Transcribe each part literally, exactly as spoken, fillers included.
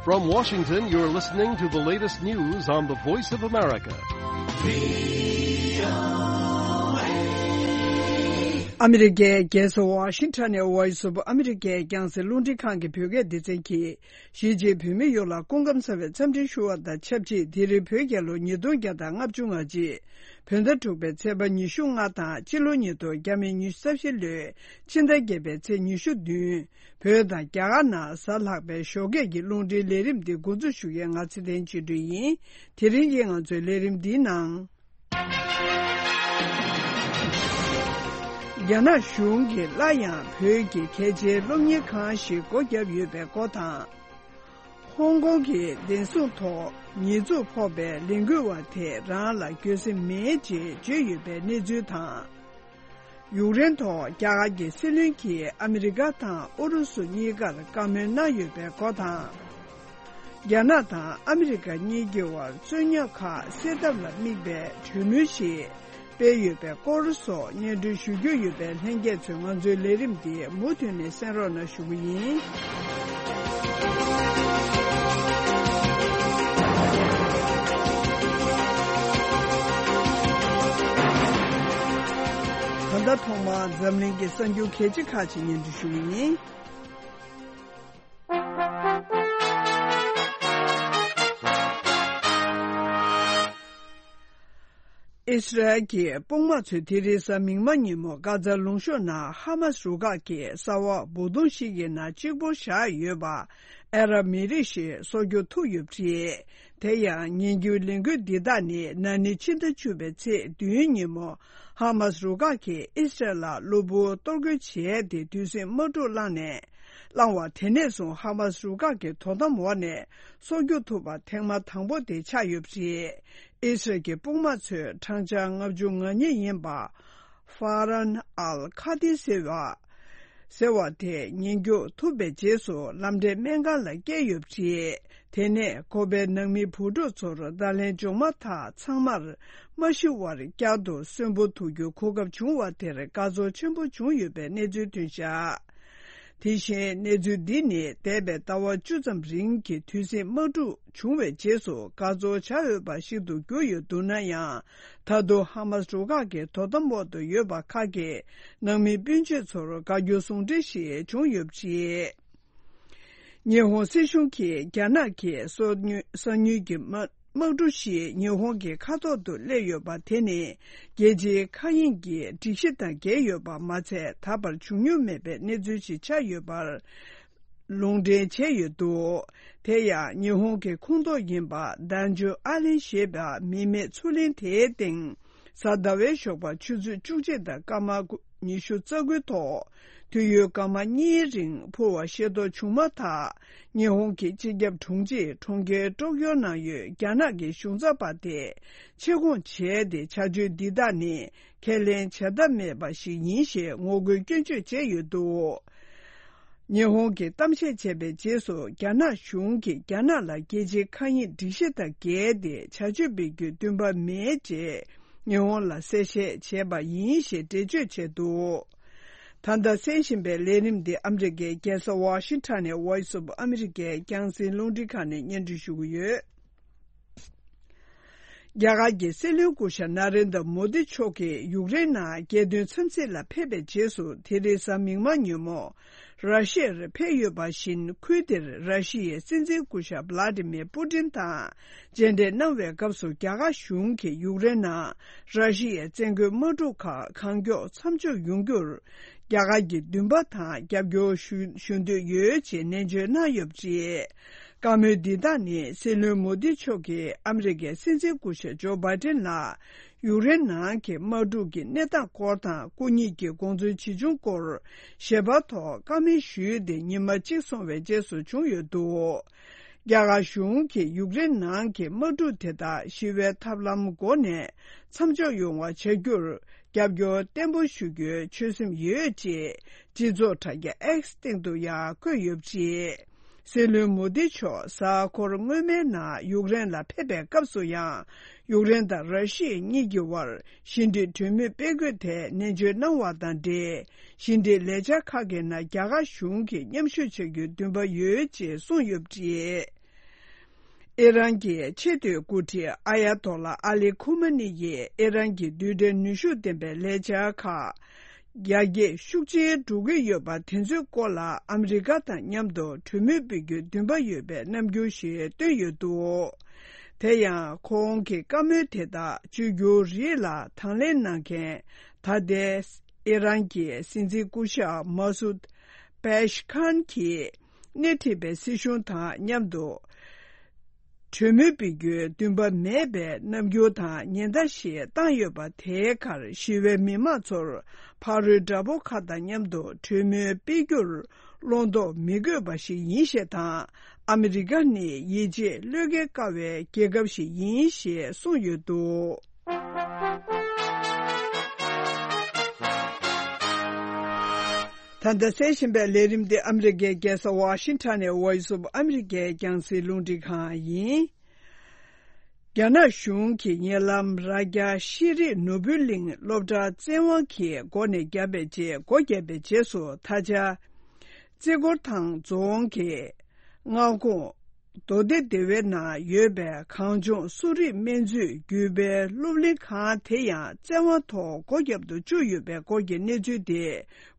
From Washington, you're listening to the latest news on the Voice of America. ཨ་མི་རི་ཀའི་རྒྱལ་ས་ཝ་ཤིང་ཊོན་ནས་Voice of America རྒྱང་སྲིང་རླུང་འཕྲིན་ཁང་གི་བོད་སྐད་སྡེ་ཚན་གྱིས། གཞིས་བྱེས་བོད་མི་ཡོངས་ལ་སྐུ་ཁམས་བཟང་བའི་འཚམས་འདྲི་ཞུ་བ་དང་ཆབས་ཅིག་དེ་རིང་བོད་རྒྱལ་ལོ་ཉིས་སྟོང་བརྒྱ་དང་ལྔ་བཅུ་ང་གཅིག་བོད་ཟླ་དྲུག་པའི་ཚེས་པ་ཉི་ཤུ་ལྔ་དང་སྤྱི་ལོ་ཉིས་སྟོང་ཉི་ཤུ་རྩ་བཞི་ལོའི་ཕྱི་ཟླ་བརྒྱད་པའི་ཚེས་ཉི་ཤུ་བདུན། བོད་དང་རྒྱ་གར་ནང་གཟའ་ལྷག་པའི་ཞོགས་ཀས་ཀྱི་རླུང་འཕྲིན་ལས་རིམ་འདི་འགོ་འཛུགས་ཞུ་མཁན་ང་ཚེ་བརྟན་ཆོས་སྒྲོན་ཡིན། དེ་རིང་གི་ང་ཚོའི་ལས་རིམ་འདིའི་ནང་། རྒྱ་ནག་གཞུང་གིས་སླར་ཡང་བོད་ཀྱི་གལ་ཆེའི་སློབ་གཉེར་ཁང་ཞིག་སྒོ་བརྒྱབ་ཡོད་པའི་སྐོར་དང་། ཧོང་ཀོང་གི་བདེན་སྲུང་ཐོག་ཉེས་འཛུགས་ཕོག་པའི་ལས་འགུལ་བ་དེ་རང་ལ་འགྱོད་སེམས་མེད་ཅེས་བརྗོད་ཡོད་པའི་གནས་ཚུལ་དང་། ཡུཀ་རེན་ཐོག་རྒྱ་གར་གྱི་སྲིད་བློན་གྱིས་ཨ་མི་རི་ཀ་དང་ཨུ་རུ་སུ་གཉིས་ཀར་བཀའ་མོལ་གནང་ཡོད་པའི་སྐོར་དང་། རྒྱ་ནག་དང་ཨ་མི་རི་ཀ་གཉིས་ཀྱི་དབར་རྩོད་རྙོག་ཁག་སེལ་ཐབས་ལ་དམིགས་པའི་གྲོས་མོལ་ཞིག་སྤེལ་ཡོད་པའི་སྐོར་སོགས་སྙན་སྒྲོན་ཞུ་རྒྱུ་ཡོད་པས། ལྷན་རྒྱས་ཚོས་ང་ཚོའི་ལས་རིམ་འདི་མུ་མཐུད་ནས་གསན་རོགས་གནང་ཞུ་གི་ཡིན། ད་ལྟ་ཐོག་མར་འཛམ་གླིང་གི་གསར་འགྱུར་གལ་ཆེ་ཁག་ཅིག་སྙན་སྒྲོན་ཞུ་གི་ཡིན། ཨི་སི་རལ་གྱི་དཔུང་དམག་ཚོས་དེ་རིང་གཟའ་མིག་དམར་ཉིན་མོ་གྷ་ཛ་ལུང་གཤོང་ནང་ཧ་མ་སི་རུ་ཁག་གི་ས་འོག་སྦུག་དོང་ཞིག་གི་ནང་གཅིག་པོ་བཞག་ཡོད་པ་ཨ་རབ་མི་རིགས་ཤིག་སྲོག་སྐྱོབ་ཐུབ་ཡོད་པ་རེད། དེ་ཡང་ཉིན་རྒྱུན་ལས་འགུལ་འདི་དག་ནི་ན་ནིང་ཕྱི་ཟླ་བཅུ་པའི་ཚེས་བདུན་ཉིན་མོ་ཧ་མ་སི་རུ་ཁག་གིས་ཨི་སི་རལ་ལ་གློ་བུར་གཏོར་རྒོལ་བྱས་ཏེ་དུས་ཟིང་དམག་འཁྲུག་བསླངས་ནས། བསླངས་བ་དེ་ནས་བཟུང་ཧ་མ་སི་རུ་ཁག་གི་དོ་དམ་འོག་ནས་སྲོག་སྐྱོབ་ཐུབ་པ་ཐེངས་མ་དང་པོ་དེ་ཆགས་ཡོད་པ་རེད། ཨི་སི་རལ་གྱི་དཔུང་དམག་ཚོས་བགྲང་བྱ་ལྔ་བཅུ་ང་གཉིས་ཡིན་པ་ཧྥ་རན་ཨལ་ཁ་ཏི་ཟེར་བ། ཟེར་བ་དེ་ཉེན་སྐྱོབ་ཐུབ་པའི་རྗེས་སུ་ལམ་འབྲས་སྨན་ཁང་ལ་བསྐྱལ་ཡོད་པ་རེད། དེ་ནས་ཁོ་པའི་ནང་མི་བུ་ཕྲུག་ཚོར་བརྡ་ལན་འབྱུང་མ་ཐག་ཚང་མར་མ་ཤི་བར་བསྐྱར་དུ་གསོན་པོ་ཐུག་རྒྱུའི་གོ་སྐབས་བྱུང་བ་དེར་དགའ་ཚོར་ཆེན་པོ་བྱུང་ཡོད་པའི་གནས་ཚུལ་ཐོན་བཞག་དེ་བཞིན་གནས་ཚུལ་འདི་ནི་འདས་པའི་ཟླ་བ་བཅུ་ཙམ་རིང་གི་དུས་ཟིང་དམག་འཁྲུག་བྱུང་བའི་རྗེས་སུ་དགའ་ཚོར་བྱ་འོས་པ་ཞིག་ཏུ་གྱུར་ཡོད་འདུག་ན་ཡང་། ད་དུང་ཧ་མ་སི་རུ་ཁག་གི་དོ་དམ་འོག་ཏུ་ཡོད་པ་ཁག་གི་ནང་མི་སྤུན་མཆེད་ཚོར་དགའ་སྐྱོ་ཟུང་འབྲེལ་ཞིག་བྱུང་ཡོད་པ་རེད། ཉི་ཧོང་སྲིད་གཞུང་གིས་རྒྱ་ནག་གི་སོ་ཉུལ་གསང་ཉུལ་གྱི་དམག་དམག་གྲུ་ཞིག་ཉི་ཧོང་གི་མཁའ་ཐོག་ཏུ་སླེབས་ཡོད་པ་དེ་ནི་རྒྱལ་སྤྱིའི་མཁའ་དབྱིངས་ཀྱི་སྒྲིག་གཞི་དང་འགལ་ཡོད་པ་མ་ཚད། ད་བར་བྱུང་མྱོང་མེད་པའི་གནས་ཚུལ་ཞིག་ཆགས་ཡོད་པར་ལུང་འདྲེན་བྱས་ཡོད་འདུག་དེ་ཡང་ཉི་ཧོང་གི་ཁོངས་གཏོགས་ཡིན་པ་དཱན་ཇོ་ཨ་ལན་ཞེས་པ་མི་མེད་མཚོ་གླིང་དེའི་སྟེང་། གཟའ་ཟླ་བའི་ཞོགས་པ་ཆུ་ཚོད་བཅུ་གཅིག་དང་སྐར་མ་ཉི་ཤུ་རྩ་དགུའི་ཐོག་དུས་ཡུན་སྐར་མ་གཉིས་རིང་འཕུར་བ་ཤེས་རྟོགས་བྱུང་མ་ཐག་ཉི་ཧོང་གི་སྤྱི་ཁྱབ་དྲུང་ཆེས་གྲོང་ཁྱེར་ཀྲོག་ཀྱོ་ནང་ཡོད་རྒྱ་ནག་གི་གཞུང་ཚབ་པ་དེ་ཆེད་བསྐོང་བྱས་ཏེ། བྱ་སྤྱོད་འདི་དག་ནི་ཁས་ལེན་བྱ་ཐབས་མེད་པ་ཞིག་ཡིན་ཞེས་ངོ་རྒོལ་སྐྱོན་བརྗོད་བྱས་ཡོད་འདུག་ཉི་ཧོང་གིས་གཏམ་བཤད་བྱས་པའི་རྗེས་སུ། རྒྱ་ནག་གཞུང་གིས་རྒྱ་ནག་ལ་རྒྱལ་སྤྱིའི་མཁའ་དབྱིངས་སྒྲིག་གཞི་དང་འགལ་ཏེ་བྱ་སྤྱོད་སྤེལ་རྒྱུའི་འདུན་པ་མེད་ཅེས་ཉི་ཧོང་ལ་གསལ་བཤད་བྱས་པ་ཡིན་ཞེས་འགྲེལ་བརྗོད་བྱས་འདུག་ད་ལྟ་གསན་བཞིན་པའི་ལས་རིམ་འདི་ཨ་མི་རི་ཀའི་རྒྱལ་ས་ཝ་ཤིང་ཊོན་ནས་Voice of America རྒྱང་སྲིང་རླུང་འཕྲིན་ཁང་ནས་སྙན་སྒྲོན་ཞུ་གི་ཡོད། རྒྱ་གར་གྱི་སྲིད་བློན་སྐུ་ཞབས་ན་རེན་དྲ་མོ་དི་མཆོག་གིས་ཡུཀ་རེན་ནང་རྒྱལ་དོན་འཚམས་གཟིགས་ལ་ཕེབས་པའི་རྗེས་སུ། དེ་རིང་གཟའ་མིག་དམར་ཉིན་མོ་ར་ཤི་ཡར་ཕེབས་ཡོད་པ་བཞིན། ཁུལ་དེར་ར་ཤི་ཡའི་སྲིད་འཛིན་སྐུ་ཞབས་བླ་ཏི་མིར་པུ་ཏིན་དང་མཇལ་འཕྲད་གནང་བའི་སྐབས་སུ། རྒྱ་གར་གཞུང་གིས་ཡུཀ་རེན་ནང་ར་ཤི་ཡའི་བཙན་རྒོལ་དམག་འཁྲུག་ཁག་གང་མགྱོགས་མཚམས་འཇོག་ཡོང་རྒྱུར་རྒྱ་གར་གྱི་འདུན་པ་དང་རྒྱབ་སྐྱོར་ཞུ་ཞུ་འདོད་ཡོད་ཅེས་ནན་བརྗོད་གནང་ཡོད་པ་རེད། བཀའ་མོལ་འདི་དག་ནི་སྲིད་བློན་མོ་དི་མཆོག་གིས་ཨ་མི་རི་ཀའི་སྲིད་འཛིན་སྐུ་ཞབས་ཇོ་བྷའི་ཏིན་ལ་ཡུཀ་རེན་ནང་གི་དམག་འཁྲུག་གི་གནས་སྟངས་སྐོར་དང་། སྐུ་ཉིད་ཀྱི་དགོངས་ཚུལ་ཇི་བྱུང་སྐོར་ཞལ་པར་ཐོག་བཀའ་མོལ་ཞུས་ཏེ་ཉི་མ་གཅིག་སོང་བའི་རྗེས་སུ་བྱུང་ཡོད་འདུག་རྒྱ་གར་གཞུང་གིས་ཡུཀ་རེན་ནང་གི་དམག་འཁྲུག་དེ་དག་ཞི་བའི་ཐབས་ལམ་སྒོ་ནས་མཚམས་འཇོག་ཡོང་བ་བྱ་རྒྱུར་རྒྱབ་སྐྱོར་བརྟན་པོ་ཞུ་རྒྱུའི་ཆོད་སེམས་ཡོད་ཅེས་སྤྱི་ཚོགས་དྲ་རྒྱ་X སྟེང་དུ་ཡང་བཀོད་ཡོད་པ་རེད། སྲིད་བློན་མོ་དི་མཆོག་གཟའ་འཁོར་སྔོན་མའི་ནང་ཡུཀ་རེན་ལ་ཕེབས་པའི་སྐབས་སུ་ཡང་། ཡུཀ་རེན་དང་ར་ཤི་ཡ་གཉིས་ཀྱི་དབར་ཞི་འགྲིག་གྲོས་མོལ་སྤེལ་དགོས་ཐད་ནན་བརྗོད་གནང་བ་དང་འབྲེལ། ཞི་འགྲིག་ལས་འཆར་ཁག་གི་ནང་རྒྱ་གར་གཞུང་གིས་མཉམ་ཞུགས་བྱ་རྒྱུའི་འདུན་པ་ཡོད་ཅེས་གསུངས་ཡོད་པ་རེད། ཨི་རན་གྱི་ཆེས་མཐོའི་འགོ་ཁྲིད་ཨ་ཡ་ཏོ་ལ་ཨ་ལི་ཁུ་མ་ནི་ཡིས་ཨི་རན་གྱི་རྡུལ་ཕྲན་ནུས་ཤུགས་ལྡན་པའི་ལས་འཆར་ཁག་རྒྱ་སྐྱེད་ཤུགས་ཆེན་འགྲོ་གི་ཡོད་པ་དེ་ཚོའི་སྐོར་ལ་ཨ་མི་རི་ཀ་དང་མཉམ་དུ་གྲོས་མོལ་སྤེལ་རྒྱུའི་འདུན་པ་ཡོད་པའི་རྣམ་འགྱུར་ཞིག་བཏོན་ཡོད་འདུག་དེ་ཡང་ཁོང་གི་བཀའ་མོལ་དེ་དག་བཅོས་བསྒྱུར་རིགས་ལ་དང་ལེན་གནང་མཁན་ད་ལྟའི་ཨི་རན་གྱི་སྲིད་འཛིན་སྐུ་ཞབས་མ་སུད་པེ་ཤི་ཁཱན་གྱིས་སྣེ་ཁྲིད་པའི་སྲིད་གཞུང་དང་མཉམ་དུ་གྲོས་མོལ་སྤེལ་རྒྱུའི་འདུན་པ་མེད་པའི་རྣམ་འགྱུར་དང་ཉེན་བརྡ་ཞིག་བཏང་ཡོད་པ་དེའི་ཁར་ཞི་བའི་མི་མང་ཚོར་ཕ་རོལ་དགྲ་བོ་ཁག་དང་མཉམ་དུ་གྲོས་མོལ་སྤེལ་རྒྱུར་བློ་དོགས་མི་དགོས་པ་ཞིག་ཡིན་ཞེས་དང་། ཨ་མི་རི་ཀ་ནི་ཡིད་ཆེས་བློས་འགེལ་དཀའ་བའི་རྒྱལ་ཁབ་ཞིག་ཡིན་ཞེས་གསུངས་ཡོད་འདུག་ད་ལྟ་གསན་བཞིན་པའི་ལས་རིམ་འདི་ཨ་མི་རི་ཀའི་རྒྱལ་ས་ཝ་ཤིང་ཊོན་ནས་Voice of America རྒྱང་སྲིང་རླུང་འཕྲིན་ཁང་ཡིན། རྒྱ་ནག་གཞུང་གིས་ཉེ་ལམ་རྭ་རྒྱ་ཤེས་རིག་ནོར་བུ་གླིང་སློབ་གྲྭ་བཙན་དབང་གིས་སྒོ་ནས་བརྒྱབ་པའི་རྗེས། སྒོ་བརྒྱབ་པའི་རྗེས་སུ་ད་ཆ་རྩེ་སྐོར་ཐང་རྫོང་གི་མངའ་ཁོངས་མདོ་སྡེ་སྡེ་བའི་ནང་ཡོད་པའི་གངས་ལྗོངས་གསོ་རིག་སྨན་རྩིས་བརྒྱུད་སྤེལ་སློབ་གླིང་ཁང་དེ་ཡང་བཙན་དབང་ཐོག་སྒོ་བརྒྱབ་ཏུ་བཅུག་ཡོད་པའི་སྐོར་གྱི་གནས་ཚུལ་དེ་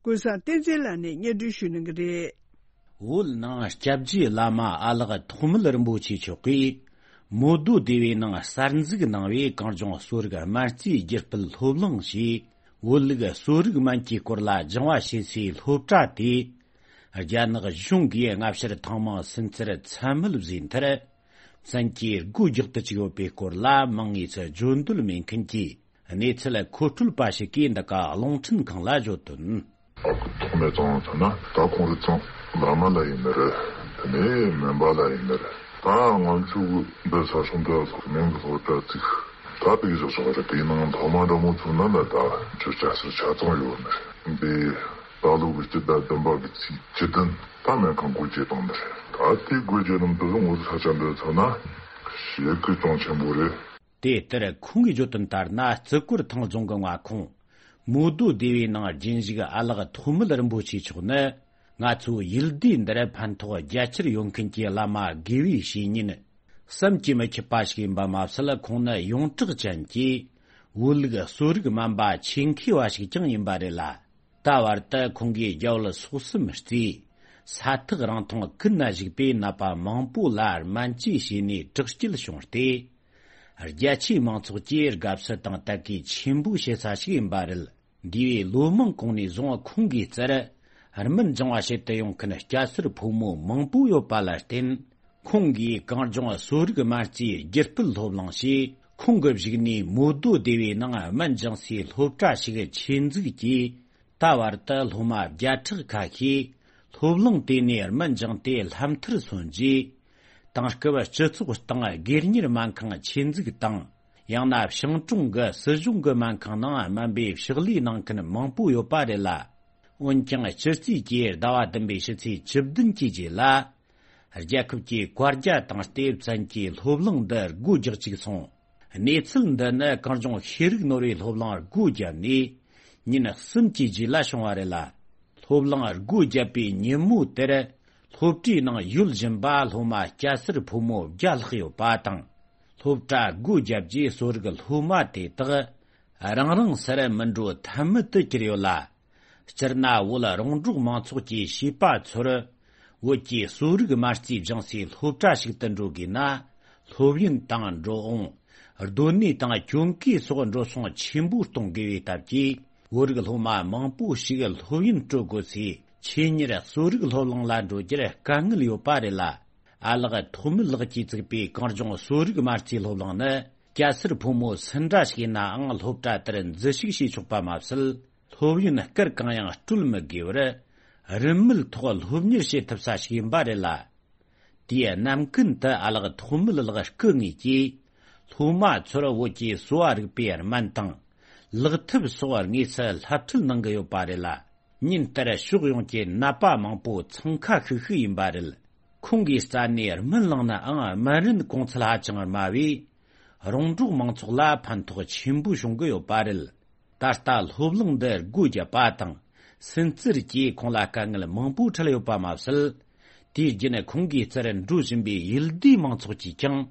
ཀུན་བཟང་བསྟན་འཛིན་ལགས་ནས་སྙན་སྒྲོན་ཞུ་གནང་གི་རེད། བོད་ནང་སྐྱབས་རྗེ་བླ་མ་ཨ་ལགས་ཐོགས་མེད་རིན་པོ་ཆེ་མཆོག་གིས་མོ་རྡོ་སྡེ་བའི་ནང་གསར་འཛུགས་གནང་བའི་གངས་ལྗོངས་གསོ་རིག་སྨན་རྩིས་བརྒྱུད་སྤེལ་སློབ་གླིང་ཞེས་བོད་ལུགས་གསོ་རིག་སྨན་གྱི་སྐོར་ལ་སྦྱང་བ་བྱེད་སའི་སློབ་གྲྭ་དེ། རྒྱ་ནག་གཞུང་གིས་སྔ་ཕྱིར་ཐེངས་མང་སུན་གཙེར་མཚན་སྨོད་བཟོས་མཐར། བཙན་གྱིས་སྒོ་རྒྱག་ཏུ་བཅུག་ཡོད་པའི་སྐོར་ལ་མང་ངེས་སུ་བརྗོད་འདོད་མེད་མཁན་གྱི་གནས་ཚུལ་མཁོ་སྤྲོད་པ་ཞིག་གིས་འདི་ག་རླུང་འཕྲིན་ཁང་ལ་བརྗོད་དོན། ཨ་ཁུ་ཐོགས་མེད་ཚང་ཚང་ན་ད་ཁོང་རི་ཚང་བླ་མ་ལ་ཡིན་ནི་རེད། དེ་ནས་སྨན་པ་ལ་ཡིན་ནི་རེད། ད་ང་ཚོ་གི་འདི་ས་སྲུང་དུ་ཚོགས་མིང་གི་སློབ་གྲྭ་བཙུགས། ད་དེ་གི་བཞག་ཆོག་རེད། དེའི་ནང་སློབ་མ་འདྲ་མོ་ཚོ་ན་ལ་ད་ཁྱོད་སྐྱ་སེར་ཆ་ཚང་ཡོད་ནི་རེད། འདི་ད་ལོ་གི་སྤྱི་ཟླ་བདུན་པ་གི་ཚེས་བཅུ་བདུན་ད་སྨན་ཁང་སྒོ་འབྱེད་བཏང་ནི་རེད། ད་དེ་སྒོ་འབྱེད་ནམ་དུ་ངོ་ས་ཆ་འདི་ཚོ་ན་ཞེ་གི་གྱོང་ཆེན་པོ་རེད། དེ་ལྟར་ཁོང་གིས་བརྗོད་དོན་ལྟར་ན། རྩེ་སྐོར་ཐང་རྫོང་གི་མངའ་ཁོངས་མོ་རྡོ་སྡེ་བའི་ནང་རྒྱུན་བཞུགས་ཨ་ལགས་ཐོགས་མེད་རིན་པོ་ཆེ་མཆོག་ནི། ང་ཚོའི་ཡུལ་སྡེ་འདིར་ཕན་ཐོགས་རྒྱ་ཆེར་ཡོང་མཁན་གྱི་བླ་མ་དགེ་བའི་བཤེས་གཉེན་བསམ་གྱིས་མི་ཁྱབ་པ་ཞིག་ཡིན་པ་མ་ཟད། ཁོང་ནི་ཡོངས་གྲགས་ཅན་གྱི་བོད་ལུགས་གསོ་རིག་སྨན་པ་ཆེད་མཁས་པ་ཞིག་ཀྱང་ཡིན་པ་རེད་ལ། ད་བར་དུ་ཁོང་གིས་རྒྱ་བོད་སོག་གསུམ་རྩིས། ས་ཐག་རིང་ཐུང་ཀུན་ན་བཞུགས་པའི་ནད་པ་མང་པོ་ལ་སྨན་བཅོས་བྱས་ནས་དྲག་སྐྱེད་བྱུང་སྟེ། རྒྱ་ཆེའི་མང་ཚོགས་ཀྱིས་དགའ་བསུ་དང་དད་གུས་ཆེན་པོ་བྱེད་ས་ཞིག་ཡིན་པ་རེད། འདས་པའི་ལོ་མང་གོང་ནས་བཟུང་ཁོང་གིས་བཙལ། སྨན་སྦྱང་བ་བྱེད་དུ་ཡོང་མཁན་སྐྱ་སེར་ཕོ་མོ་མང་པོ་ཡོད་པ་ལ་བརྟེན། ཁོང་གིས་གངས་ལྗོངས་གསོ་རིག་སྨན་རྩིས་བརྒྱུད་སྤེལ་སློབ་གླིང་ཞེས་ཁོང་གི་བཞུགས་གནས་མོ་རྡོ་སྡེ་བའི་ནང་སྨན་སྦྱང་སའི་སློབ་གྲྭ་ཞིག་ཆེད་འཛུགས་ཀྱིས། ད་བར་དུ་སློབ་མ་བརྒྱ་ཕྲག་ཁ་ཤས་སློབ་གླིང་དེ་ནས་སྨན་སྦྱངས་ཏེ་སློབ་མཐར་སོན་རྗེས། དེང་སྐབས་སྤྱི་ཚོགས་སྟེང་སྒེར་གཉེར་སྨན་ཁང་ཆེད་འཛུགས་དང་། ཡང་ན་ཞིང་གྲོང་གི་སྲིད་གཞུང་གི་སྨན་ཁང་ནང་སྨན་པའི་ཕྱག་ལས་གནང་མཁན་མང་པོ་ཡོད་པ་རེད་ལ། འོན་ཀྱང་སྤྱི་རྩིས་ཀྱི་ཟླ་བ་བདུན་པའི་ཕྱི་ཚེས་བཅུ་བདུན་གྱི་རྗེས་ལ། རྒྱལ་ཁབ་ཀྱི་བཀའ་རྒྱ་བཏང་སྟེ་བཙན་གྱིས་སློབ་གླིང་འདི་སྒོ་རྒྱག་བཅུག་སོང་། གནས་ཚུལ་འདི་ནི་གངས་ལྗོངས་ཤེས་རིག་ནོར་བུའི་སློབ་གླིང་སྒོ་བརྒྱབ་ནས་ཉིན་གསུམ་གྱི་རྗེས་ལ་བྱུང་བ་རེད་ལ། སློབ་གླིང་སྒོ་བརྒྱབ་པའི་ཉིན་མོ་དེར་སློབ་གྲྭའི་ནང་ཡོད་བཞིན་པ་སློབ་མ་སྐྱ་སེར་ཕོ་མོ་བརྒྱ་ལྷག་ཡོད་པ་དང་། སློབ་གྲྭ་སྒོ་བརྒྱབ་རྗེས་གསོ་རིག་སློབ་མ་དེ་དག་རང་རང་སར་མི་འགྲོ་ཐབས་མེད་དུ་གྱུར་ཡོད་ལ། སྤྱིར་ན་བོད་རོང་འབྲོག་མང་ཚོགས་ཀྱི་བྱིས་པ་ཚོར་བོད་ཀྱི་གསོ་རིག་སྨན་རྩིས་སྦྱང་སའི་སློབ་གྲྭ་ཞིག་ཏུ་འགྲོ་དགོས་ན། སློབ་ཡོན་དང་འགྲོ་འོང་། སྡོད་གནས་དང་གྱོན་གོས་སོགས་འགྲོ་སོང་ཆེན་པོ་གཏོང་དགོས་པའི་སྟབས་ཀྱིས། བོད་རིགས་སློབ་མ་མང་པོ་ཞིག་སློབ་ཡོན་སྤྲོད་དགོས་སའི་ཆེད་གཉེར་གསོ་རིག་སློབ་གླིང་ལ་འགྲོ་རྒྱུར་དཀའ་ངལ་ཡོད་པ་རེད་ལ། ཨ་ལགས་ཐོགས་མེད་ལགས་ཀྱིས་བཙུགས་པའི་གངས་ལྗོངས་གསོ་རིག་སྨན་རྩིས་སློབ་གླིང་ནི། སྐྱ་སེར་ཕོ་མོ་སུ་འདྲ་ཞིག་ཡིན་ནའང་སློབ་གྲྭ་དེར་འཛུལ་ཞུགས་བྱེད་ཆོག་པ་མ་ཟད། སློབ་ཡོན་སྐར་གང་ཡང་སྤྲོད་མི་དགོས་པར། རིན་མེད་ཐོག་སློབ་གཉེར་བྱེད་ཐུབ་ས་ཞིག་ཡིན་པ་རེད་ལ། དེའི་རྣམ་ཀུན་དུ་ཨ་ལགས་ཐོགས་མེད་ལགས་སྐུ་ངོས་ཀྱིས། སློབ་མ་ཚོར་བོད་ཀྱི་གསོ་བ་རིག་པའི་སྨན་དང་། ལག་ཐབས་སོགས་དངོས་སུ་སློབ་ཁྲིད་གནང་གི་ཡོད་པ་རེད་ལ། ཉིན་ལྟར་ཕྱོགས་ཡོངས་ཀྱི་ནད་པ་མང་པོ་འཚང་ཁ་ཤིག་ཤིག་ཡིན་པ་རེད། ཁོང་གིས་རྩ་ནས་སྨན་བླངས་ནའང་སྨན་རིན་གོང་ཚད་ཧ་ཅང་དམའ་བས། རོང་འབྲོག་མང་ཚོགས་ལ་ཕན་ཐོགས་ཆེན་པོ་བྱུང་གི་ཡོད་པ་རེད། ད་ལྟ་སློབ་གླིང་འདི་སྒོ་བརྒྱབ་པ་དང་། སུན་གཙེར་གྱིས་ཁོང་ལ་དཀའ་ངལ་མང་པོ་འཕྲད་ཡོད་པ་མ་ཟད། དུས་རྒྱུན་ཁོང་གིས་རྩར་འགྲོ་བཞིན་པའི་ཡུལ་དེའི་མང་ཚོགས་ཀྱིས་ཀྱང་།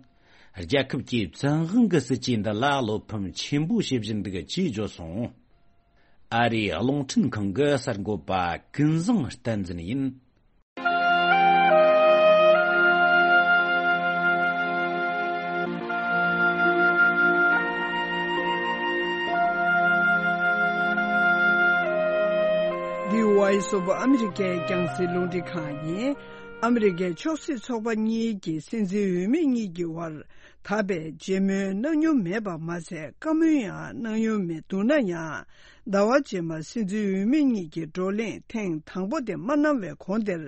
རྒྱལ་ཁབ་ཀྱི་བཙན་དབང་གི་སྲིད་ཇུས་འདི་ལ་བློ་ཕམ་ཆེན་པོ་བྱེད་བཞིན་འདུག་ཅེས་བརྗོད་སོང་། ཨ་རིའི་རླུང་འཕྲིན་ཁང་གི་གསར་འགོད་པ་ཀུན་བཟང་བསྟན་འཛིན་ཡིན། འདི་Voice of America རྒྱང་སྲིང་རླུང་འཕྲིན་ཁང་ཡིན། ཨ་མི་རི་ཀའི་ཆབ་སྲིད་ཚོགས་པ་གཉིས་ཀྱི་སྲིད་འཛིན་འོས་མི་གཉིས་ཀྱི་དབར་ད་བར་མཇལ་མོལ་གནང་མྱོང་མེད་པ་མ་ཟད། བཀའ་མོལ་ཡང་གནང་མྱོང་མེད་འདུག་ན་ཡང་། ཟླ་བ་རྗེས་མ་སྲིད་འཛིན་འོས་མི་གཉིས་ཀྱི་བགྲོ་གླེང་ཐེངས་དང་པོ་དེ་མ་གནང་བའི་གོང་དེར།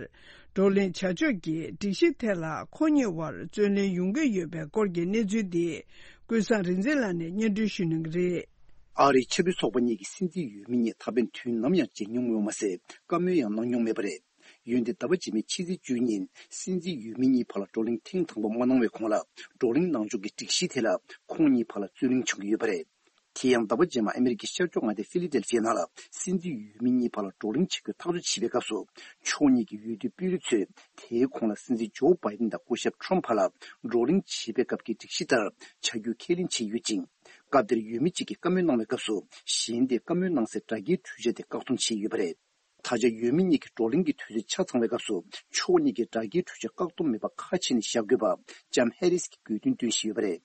བགྲོ་གླེང་བྱ་ཕྱོགས་ཀྱི་སྒྲིག་གཞི་ཐད་ལ་ཁོང་གཉིས་དབར་རྩོད་གླེང་ཡོང་གི་ཡོད་པའི་སྐོར་གྱི་གནས་ཚུལ་འདི་ཀུན་བཟང་རིག་འཛིན་ལགས་ནས་སྙན་སྒྲོན་ཞུ་གནང་གི་རེད། ཨ་རིའི་ཆབ་སྲིད་ཚོགས་པ་གཉིས་ཀྱི་སྲིད་འཛིན་འོས་མི་གཉིས་ད་ཕན་དུས་ནམ་ཡང་མཇལ་མྱོང་མེད་པ་མ་ཟད། བཀའ་མོལ་ཡང་གནང་མྱོང་མེད་པ་རེད། འོན་ཏེ་ཟླ་བ་རྗེས་མའི་ཕྱི་ཚེས་བཅུ་ཉིན་སྲིད་འཛིན་འོས་མི་གཉིས་བར་ལ་བགྲོ་གླེང་ཐེངས་དང་པོ་མ་གནང་བའི་གོང་ལ། བགྲོ་གླེང་གནང་ཕྱོགས་ཀྱི་སྒྲིག་གཞི་ཐད་ལ་ཁོང་གཉིས་བར་ལ་རྩོད་གླེང་བྱུང་གི་ཡོད་པ་རེད། དེ་ཡང་ཟླ་བ་རྗེས་མ་ཨ་མི་རི་ཀའི་ཤར་ཕྱོགས་མངའ་སྡེ་ཕི་ལི་ཌེལ་ཕི་ཡ་ནང་ལ་སྲིད་འཛིན་འོས་མི་གཉིས་བར་ལ་བགྲོ་གླེང་བྱེད་རྒྱུ་ཐག་གཅོད་བྱེད་པའི་སྐབས་སུ། ཕྱོགས་གཉིས་ཀྱི་འོས་བསྡུའི་དཔོན་རིགས་ཚོས་དེའི་གོང་ལ་སྲིད་འཛིན་ཇོ་བྷའི་ཌེན་དང་སྐུ་ཞབས་ཁྲོམ་བར་ལ་བགྲོ་གླེང་བྱེད་པའི་སྐབས་ཀྱི་སྒྲིག་གཞི་ལྟར་བྱ་རྒྱུ་ཁས་ལེན་བྱས་ཡོད་ཅིང་། སྐབས་དེར་འོས་མི་གཅིག་གིས་བཀའ་མོལ་གནང་བའི་སྐབས་སུ། གཞན་དེས་བཀའ་མོལ་གནང་སའི་སྒྲ་བསྐྱེལ་འཕྲུལ་ཆས་དེ་བཀག་སྡོམ་བྱས་ཡོད་པ་རེད། ད་ཆ་འོས་མི་གཉིས་ཀྱི་བགྲོ་གླེང་གི་དུས་ཚོད་ཆ་ཚང་བའི་སྐབས་སུ། ཕྱོགས་གཉིས་ཀྱིས་སྒྲ་བསྐྱེལ་འཕྲུལ་ཆས་བཀག་སྡོམ་མེད་པ་ཁ་ཕྱེ་ནས་བཞག་དགོས་པ་ལྕམ་ཧེ་རིས་ཀྱིས་དགོས་འདུན་བཏོན་བཞིན་ཡོད་པ་རེད།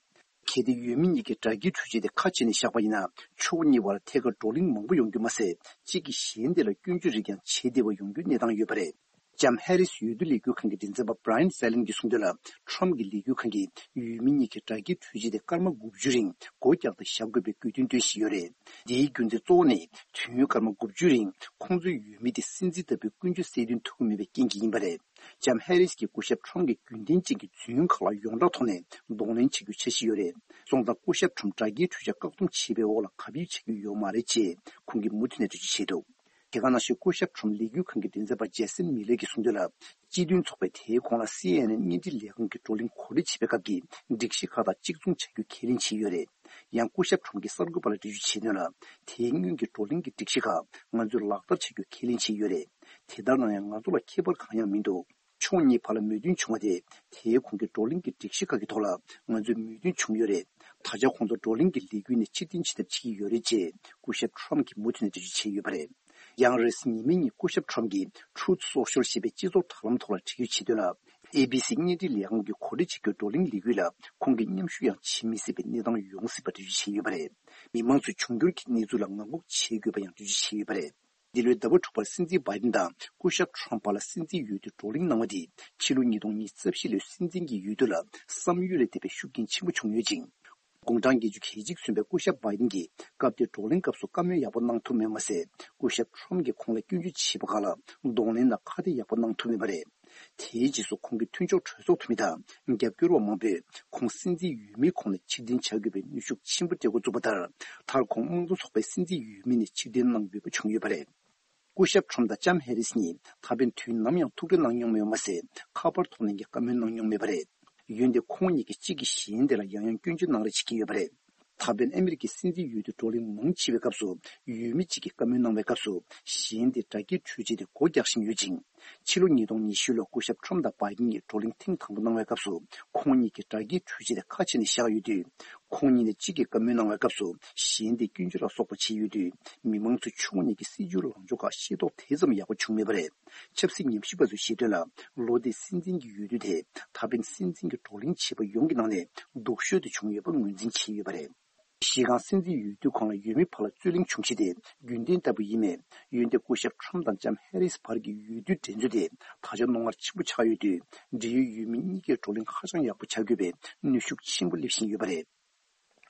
གལ་ཏེ་འོས་མི་གཉིས་ཀྱིས་སྒྲ་བསྐྱེལ་འཕྲུལ་ཆས་དེ་ཁ་ཕྱེ་ནས་བཞག་པ་ཡིན་ན། ཕྱོགས་གཉིས་བར་ཐད་ཀར་བགྲོ་གླེང་མང་པོ་ཡོང་རྒྱུ་མ་ཟད། གཅིག་གིས་གཞན་དེ་ལ་སྐྱོན་བརྗོད་རིགས་ཀྱང་བྱེད་བདེ་བ་ཡོང་རྒྱུའི་གནས་སྟངས་ཡོད་པ་རེད། ལྕམ་ཧེ་རིས་འོས་བསྡུ་ལས་འགུལ་ཁང་གི་མགྲིན་ཚབ་པ་Brian Fallon གྱིས་གསུངས་དོན་ལ། ཁྲོམ་གྱི་ལས་འགུལ་ཁང་གིས་འོས་མི་གཉིས་ཀྱིས་སྒྲ་བསྐྱེལ་འཕྲུལ་ཆས་དེ་སྐར་མ་དགུ་བཅུ་རིང་སྒོ་རྒྱག་སྟེ་བཞག་དགོས་པའི་དགོས་འདུན་བཏོན་བཞིན་ཡོད་རེད། འདིའི་རྒྱུ་མཚན་གཙོ་བོ་ནི། དུས་ཡུན་སྐར་མ་དགུ་བཅུ་རིང་ཁོང་ཚོའི་འོས་མི་དེ་སྲིད་འཛིན་ལྟ་བུའི་ཀུན་སྤྱོད་གསལ་སྟོན་ཐུབ་ཀྱི་མེད་པའི་རྐྱེན་གྱིས་ཡིན་པ་རེད། ལྕམ་ཧེ་རིས་ཀྱིས་སྐུ་ཞབས་ཁྲོམ་གྱི་རྒྱུན་ལྡན་ཅན་གྱི་རྫུན་ཁག་ལ་ཡོངས་གྲགས་ཐོག་ནས་གདོང་ལེན་བྱེད་རྒྱུའི་འཆར་གཞི་ཡོད་རེད། སོང་ཙང་སྐུ་ཞབས་ཁྲོམ་སྒྲ་བསྐྱེལ་འཕྲུལ་ཆས་བཀག་སྡོམ་བྱས་པའི་འོག་ལ་གབ་ཡིབ་བྱེད་རྒྱུ་ཡོད་མ་རེད་ཅེས་ཁོང་གིས་མུ་མཐུད་ནས་འགྲེལ་བརྗོད་བྱས་འདུག་དེ་ག་ནང་བཞིན་སྐུ་ཞབས་ཁྲོམ་ལས་འགུལ་ཁང་གི་མགྲིན་ཚབ་པ་ཇེ་སན་མི་ལེ་གིས་གསུངས་དོན་ལ། སྤྱི་མཐུན་ཚོགས་པས་དེའི་གོང་ལ་སི་ཨེན་ཨེན་བརྙན་འཕྲིན་ལས་ཁང་གི་བགྲོ་གླེང་གོ་སྒྲིག་བྱེད་པའི་སྐབས་ཀྱི་སྒྲིག་གཞི་ཁག་དང་གཅིག་མཚུངས་བྱ་རྒྱུ་ཁས་ལེན་བྱས་ཡོད་རེད། ཡང་སྐུ་ཞབས་ཁྲོམ་གྱིས་གསར་འགོད་པ་ལ་འགྲེལ་བརྗོད་བྱས་དོན་ལ། དེའི་སྔོན་གྱི་བགྲོ་གླེང་གི་སྒྲིག་གཞི་ཁག་ང་ཚོས་ལག་བསྟར་བྱ་རྒྱུ་ཁས་ལེན་བྱས་ཡོད་རེད། དེ་ལྟར་ན་ཡང་ང་ཚོ་ལ་ཁྱད་པར་གང་ཡང་མི་འདུག་ཕྱོགས་གཉིས་བར་ལ་མོས་མཐུན་བྱུང་བ་དེ། དེའི་གོང་གི་བགྲོ་གླེང་གི་སྒྲིག་གཞི་ཁག་གི་ཐོག་ལ་ང་ཚོས་མོས་མཐུན་བྱུང་ཡོད་རེད། ད་ཆ་ཁོང་ཚོ་བགྲོ་གླེང་གི་ལས་འགུལ་ནས་ཕྱིར་འཐེན་བྱེད་ཐབས་བྱེད་ཀྱི་ཡོད་རེད་ཅེས་སྐུ་ཞབས་ཁྲོམ་གྱིས་མུ་མཐུད་ནས་འགྲེལ་བརྗོད་བྱས་ཡོད་པ་རེད། ཡང་རེས་ཉི་མའི་ཉིན་སྐུ་ཞབས་ཁྲོམ་གྱིས་Truth Social ཞེས་པའི་སྤྱི་ཚོགས་དྲ་ལམ་ཐོག་ལ་བྲིས་ཡོད་བྱས་དོན་ལ། ཨེ་བི་སི་བརྙན་འཕྲིན་ལས་ཁང་གིས་གོ་སྒྲིག་བྱེད་རྒྱུའི་བགྲོ་གླེང་ལས་འགུལ་ལ་ཁོང་གིས་མཉམ་ཞུགས་ཡང་བྱེད་མི་སྲིད་པའི་གནས་སྟངས་ཡོང་སྲིད་པ་འགྲེལ་བརྗོད་བྱས་ཡོད་པ་རེད། མི་མང་ཚོས་འབྱུང་འགྱུར་གྱི་གནས་ཚུལ་ལ་ངང་སྒུག་བྱེད་དགོས་པ་ཡང་འགྲེལ་བརྗོད་བྱས་ཡོད་པ་རེད། འདི་ལོའི་ཟླ་བ་དྲུག་པར་སྲིད་འཛིན་བྷའི་ཌེན་དང་སྐུ་ཞབས་ཁྲོམ་བར་ལ་སྲིད་འཛིན་འོས་བསྡུའི་བགྲོ་གླེང་གནང་བ་དེས་ཕྱི་ལོ་ཉིས་སྟོང་ཉི་ཤུ་རྩ་བཞི་ལོའི་སྲིད་འཛིན་གྱི་འོས་བསྡུ་ལ་བསམ་ཡུལ་ལས་འདས་པའི་ཤུགས་རྐྱེན་ཆེན་པོ་བྱུང་ཡོད་ཅིང་། དགུང་གྲངས་བརྒྱད་ཅུ་གྱ་གཅིག་སོན་པའི་སྐུ་ཞབས་བྷའི་ཌེན་གྱིས་སྐབས་དེའི་བགྲོ་གླེང་སྐབས་སུ་བཀའ་མོལ་ཡག་པོ་གནང་ཐུབ་མེད་མ་ཟད། སྐུ་ཞབས་ཁྲོམ་གྱིས་ཁོང་ལ་སྐྱོན་བརྗོད་བྱས་པ་ཁག་ལ་གདོང་ལེན་དང་ཁ་གཏད་ཡག་པོ་གནང་ཐུབ་མེད་པ་རེད། དེའི་རྗེས་སུ་ཁོང་གི་མཐུན་ཕྱོགས་གྲོས་ཚོགས་འཐུས་མི་དང་རྒྱབ་སྐྱོར་བ་མང་པོས་ཁོང་སྲིད་འཛིན་འོས་མིའི་ཁོངས་ནས་ཕྱིར་འཐེན་བྱ་དགོས་པའི་གནོན་ཤུགས་ཆེན་པོ་སྤྲད་འགོ་བཙུགས་པ་ལྟར། མཐར་ཁོང་དམངས་གཙོ་ཚོགས་པའི་སྲིད་འཛིན་འོས་མི་ནས་ཕྱིར་འཐེན་གནང་དགོས་པ་བྱུང་ཡོད་པ་རེད། སྐུ་ཞབས་ཁྲོམ་དང་ལྕམ་ཧེ་རིས་གཉིས་ད་ཕན་དུས་ནམ་ཡང་ཐུག་འཕྲད་གནང་མྱོང་མེད་པ་མ་ཟད། ཁ་པར་ཐོག་ནས་ཀྱང་བཀའ་མོལ་གནང་མྱོང་མེད་པ་རེད། འོན་ཏེ་ཁོང་གཉིས་ཀྱིས་གཅིག་གིས་གཞན་དེ་ལ་ཡང་ཡང་སྐྱོན་བརྗོད་གནང་རེས་བྱེད་ཀྱི་ཡོད་པ་རེད། ད་ཕན་ཨ་མི་རི་ཀའི་སྲིད་འཛིན་འོས་བསྡུ་བགྲོ་གླེང་མང་ཆེ་བའི་སྐབས་སུ་འོས་མི་གཅིག་གིས་བཀའ་མོལ་གནང་བའི་སྐབས་སུ་གཞན་དེས་སྒྲ་སྐྱེལ་འཕྲུལ་ཆས་དེ་སྒོ་རྒྱག་བཞིན་ཡོད་ཅིང་། ཕྱི་ལོ་ཉིས་སྟོང་ཉི་ཤུ་ལོར་སྐུ་ཞབས་ཁྲོམ་དང་བྷའི་ཌེན་གཉིས་བགྲོ་གླེང་ཐེངས་དང་པོ་གནང་བའི་སྐབས་སུ་ཁོང་གཉིས་ཀྱིས་སྒྲ་སྐྱེལ་འཕྲུལ་ཆས་དེ་ཁ་ཕྱེ་ནས་བཞག་ཡོད་དུས། ཁོང་གཉིས་ནས་གཅིག་གིས་བཀའ་མོལ་གནང་བའི་སྐབས་སུ་གཞན་དེས་སྐྱོན་བརྗོད་ལ་སོགས་པ་བྱས་ཡོད་དུས། མི་མང་ཚོས་ཕྱོགས་གཉིས་ཀྱི་སྲིད་བྱུས་ལངས་ཕྱོགས་ཁག་ཤེས་རྟོགས་དེ་ཙམ་ཡག་པོ་བྱུང་མེད་པ་རེད། ཆབ་སྲིད་ཉམས་ཞིབ་པ་ཚོས་བཤད་དོན་ལ། ལོ་འདིའི་སྲིད་འཛིན་གྱི་འོས་བསྡུ་དེ་ད་ཕན་སྲིད་འཛིན་གྱི་བགྲོ་གླེང་བྱས་པ་ཡོངས་ཀྱི་ནང་ནས་སྡུག་ཤོས་དེ་བྱུང་ཡོད་པ་ངོས་འཛིན་བྱས་ཡོད་པ་རེད། གཞི་རྐང་སྲིད་འཛིན་འོས་བསྡུའི་གོང་ལ་འོས་མི་བར་ལ་རྩོད་གླེང་བྱུང་གཞི་དེ་རྒྱུན་ལྡན་ལྟ་བུ་ཡིན་མོད། འོན་ཏེ་སྐུ་ཞབས་ཁྲོམ་དང་ལྕམ་ཧེ་རིས་བར་གྱི་འོས་བསྡུའི་འགྲན་རྩོད་དེ་ད་ཆ་རྣོ་ངར་ཆེན་པོ་ཆགས་ཡོད་དུས། འབྲེལ་ཡོད་འོས་མི་གཉིས་ཀས་བགྲོ་གླེང་ཧ་ཅང་ཡག་པོ་བྱ་དགོས་པའི་གནོན་ཤུགས་ཆེན་པོ་སླེབས་བཞིན་ཡོད་པ་རེད།